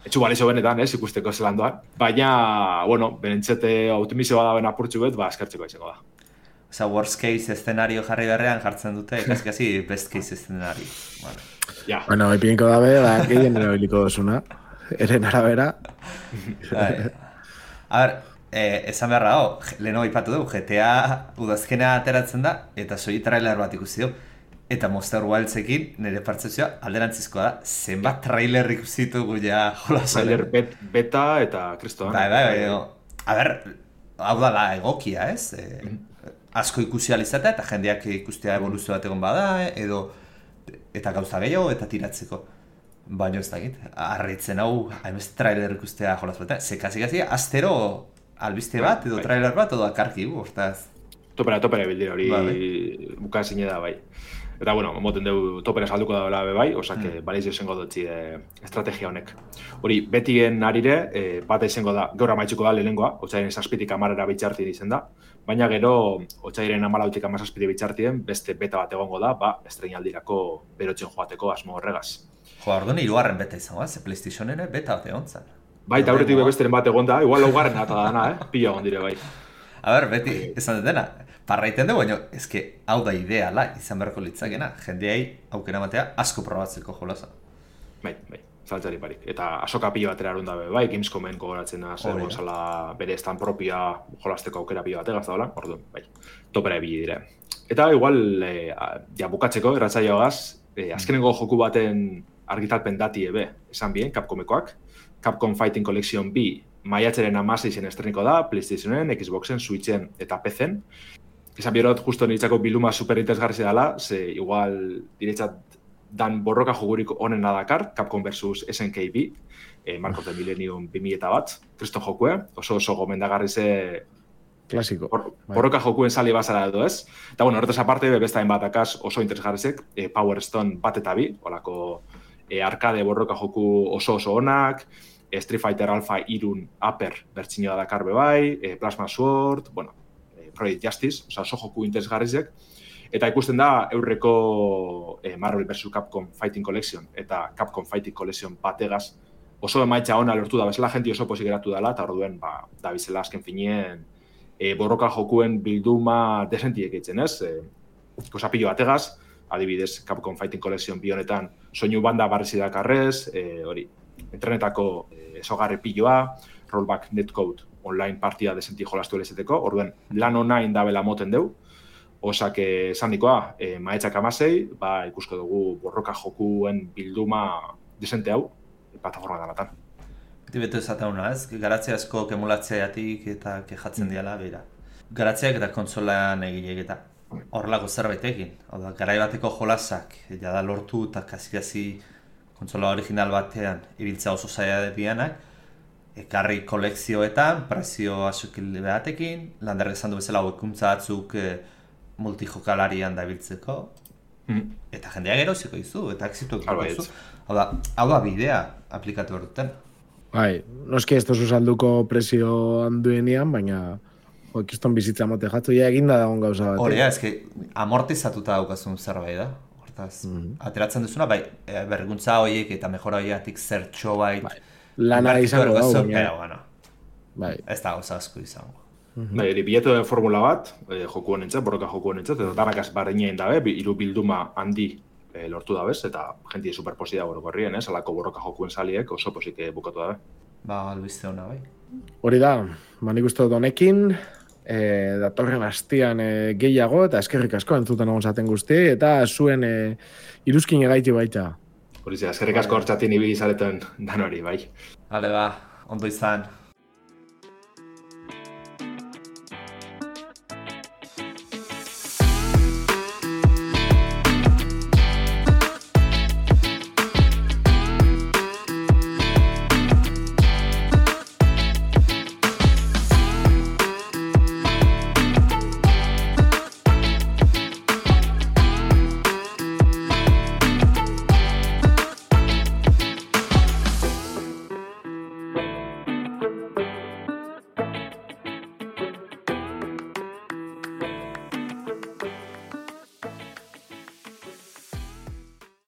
etxu balizo benetan, ez ikusteko zelan doan. Baina, bueno, benentzete optimizioa daben apurtxu bet, ba eskertzeko etxeko da. Osa, worst case eszenario jarri berrean jartzen dute, kasi best case eszenario. Vale. Ja. Bueno, ipinko dabe, da, gehien erabiliko dozuna, eren arabera. A ber, eh, esan beharra hau, leheno ipatu dugu, G T A udazkena ateratzen da, eta soi trailer bat ikusi dugu. Eta Monster Wildsekin, nire pertzepzioa, alderantzizkoa da, zenbat trailer ikusi ditugu ja jolasolen. Trailer bet, beta eta kristoan. Bai, bai, bai, a ber, hau da la egokia, ez? E, asko ikusi alizatea eta jendeak ikustea evoluzio bat egon bada, edo eta gauza gehiago eta tiratzeko. Baina ez dakit, harritzen hau, hainbeste trailer ikustea jolaz bat, zekazik-kazik, astero albiste bat, edo trailer bat, edo akarki, hortaz. Topera, topera bildira hori ba, buka zine da bai. Eta, bueno, moten dugu topera salduko da bela bai, osake, mm. baliz izango dutzi e, estrategia honek. Hori, betien arire, e, bat izango da, gaur amaitzuko da lehenengoa, otzairen zazpitik amarera bitxarti izen da, baina gero, otzairen amalautik amazazpiti bitxartien, beste beta bat egongo da, ba, estreinaldirako berotzen joateko asmo horregaz. Jo, orduan hirugarren beta izango da, ze PlayStationen beta bat egon zen. Bai, eta horretik besteren bat egon da, igual laugarren eta dana, eh? Pila egon dire bai. A ber, beti, esan dena, parraiten dugu, baina ezke hau da ideala izan beharko litzakena, jendeai aukera matea asko probatzeko jolaza. Bai, bai, zaltzari barik. Eta asoka pila batera arun dabe, bai, Gamescomen gogoratzen da, zer gonzala bere estan propia jolasteko aukera pila bategaz da, orduan, bai, topera ebili dire. Eta igual, e, ja, bukatzeko, erratzaioagaz, e, azkenengo joku baten argitalpen dati ebe, esan bien, Capcomekoak, Capcom Fighting Collection B, maiatzaren amaseizen estreniko da, PlayStationen, Xboxen, Switchen eta P Cen. Esan biorot, justo niretzako biluma super interesgarri dela, ze igual diretzat dan borroka jogurik onena dakar, Capcom versus S N K B, eh, Mark of the Millennium bi mila bat, kriston jokue, oso oso gomendagarri ze klasiko. Bor, borroka jokuen sali bazara edo ez. Eta bueno, horretaz aparte, bestain bat akaz oso interesgarrizek, eh, Power Stone bat eta bi, olako eh, arcade borroka joku oso oso onak, Street Fighter Alpha irun Upper bertzinioa dakar bebai, e, Plasma Sword, bueno, e, Project Justice, oza, oso joku interesgarrizek. Eta ikusten da, eurreko e, Marvel versus. Capcom Fighting Collection eta Capcom Fighting Collection bategaz oso emaitza ona lortu da, bezala jenti oso pozik geratu dela, eta orduen, ba, da bizela azken finien e, borroka jokuen bilduma desentiek eitzen, ez? E, Kosapillo bategaz, adibidez, Capcom Fighting Collection bi honetan soinu banda barrezi dakarrez, e, hori, entrenetako esogarri piloa, rollback netcode online partia desenti jolastu elezeteko, orduen lan online da bela moten deu, osak esan dikoa, e, maetzak amasei, ba, ikusko dugu borroka jokuen bilduma desente hau, plataforma dalatan. Beti beto ezateuna, ez? Garatzea asko emulatzeatik eta kejatzen diala, beira. Garatzeak eta konsolan egileak eta horrelako zerbait egin. Hau da, garai bateko jolasak, jada lortu eta kasi-kasi kontsola original batean ibiltzea oso zaila dianak, ekarri kolekzioetan, prezio asukil batekin, landerrek esan du bezala hauekuntza batzuk e, multijokalarian da ibiltzeko, mm. eta jendea geroziko izu, eta exitu izu. Hau da, hau da bidea aplikatu horretan. Bai, noski ez tozu salduko prezio handuenean, baina jo, kiston bizitza mote jatzu, ja eginda dagoen gauza bat. Horea, eske amortizatuta daukazun zerbait da. Mm-hmm. Ateratzen duzuna, bai, berguntza horiek eta mejora horiatik zertxo bait bai. Lana izango dago, baina bueno, bai. Ez da gauza asko izango. Mm-hmm. Bai, eri bilatu den formula bat, eh, joku honentzat, borroka joku honentzat, eta danak azbarreinen dabe, hiru bilduma handi eh, lortu dabez, eta jentie superposi da borrokorrien, ez, alako borroka jokuen saliek oso posik bukatu dabe. Ba, albiste hona, bai. Hori da, manik uste dut honekin, E, datorren hastian e, gehiago eta eskerrik asko entzuten egon zaten guzti eta zuen e, iruzkin egaiti baita. Hori ze, eskerrik asko hortzatin ibili zareten dan hori, bai. Hale ba, ondo izan.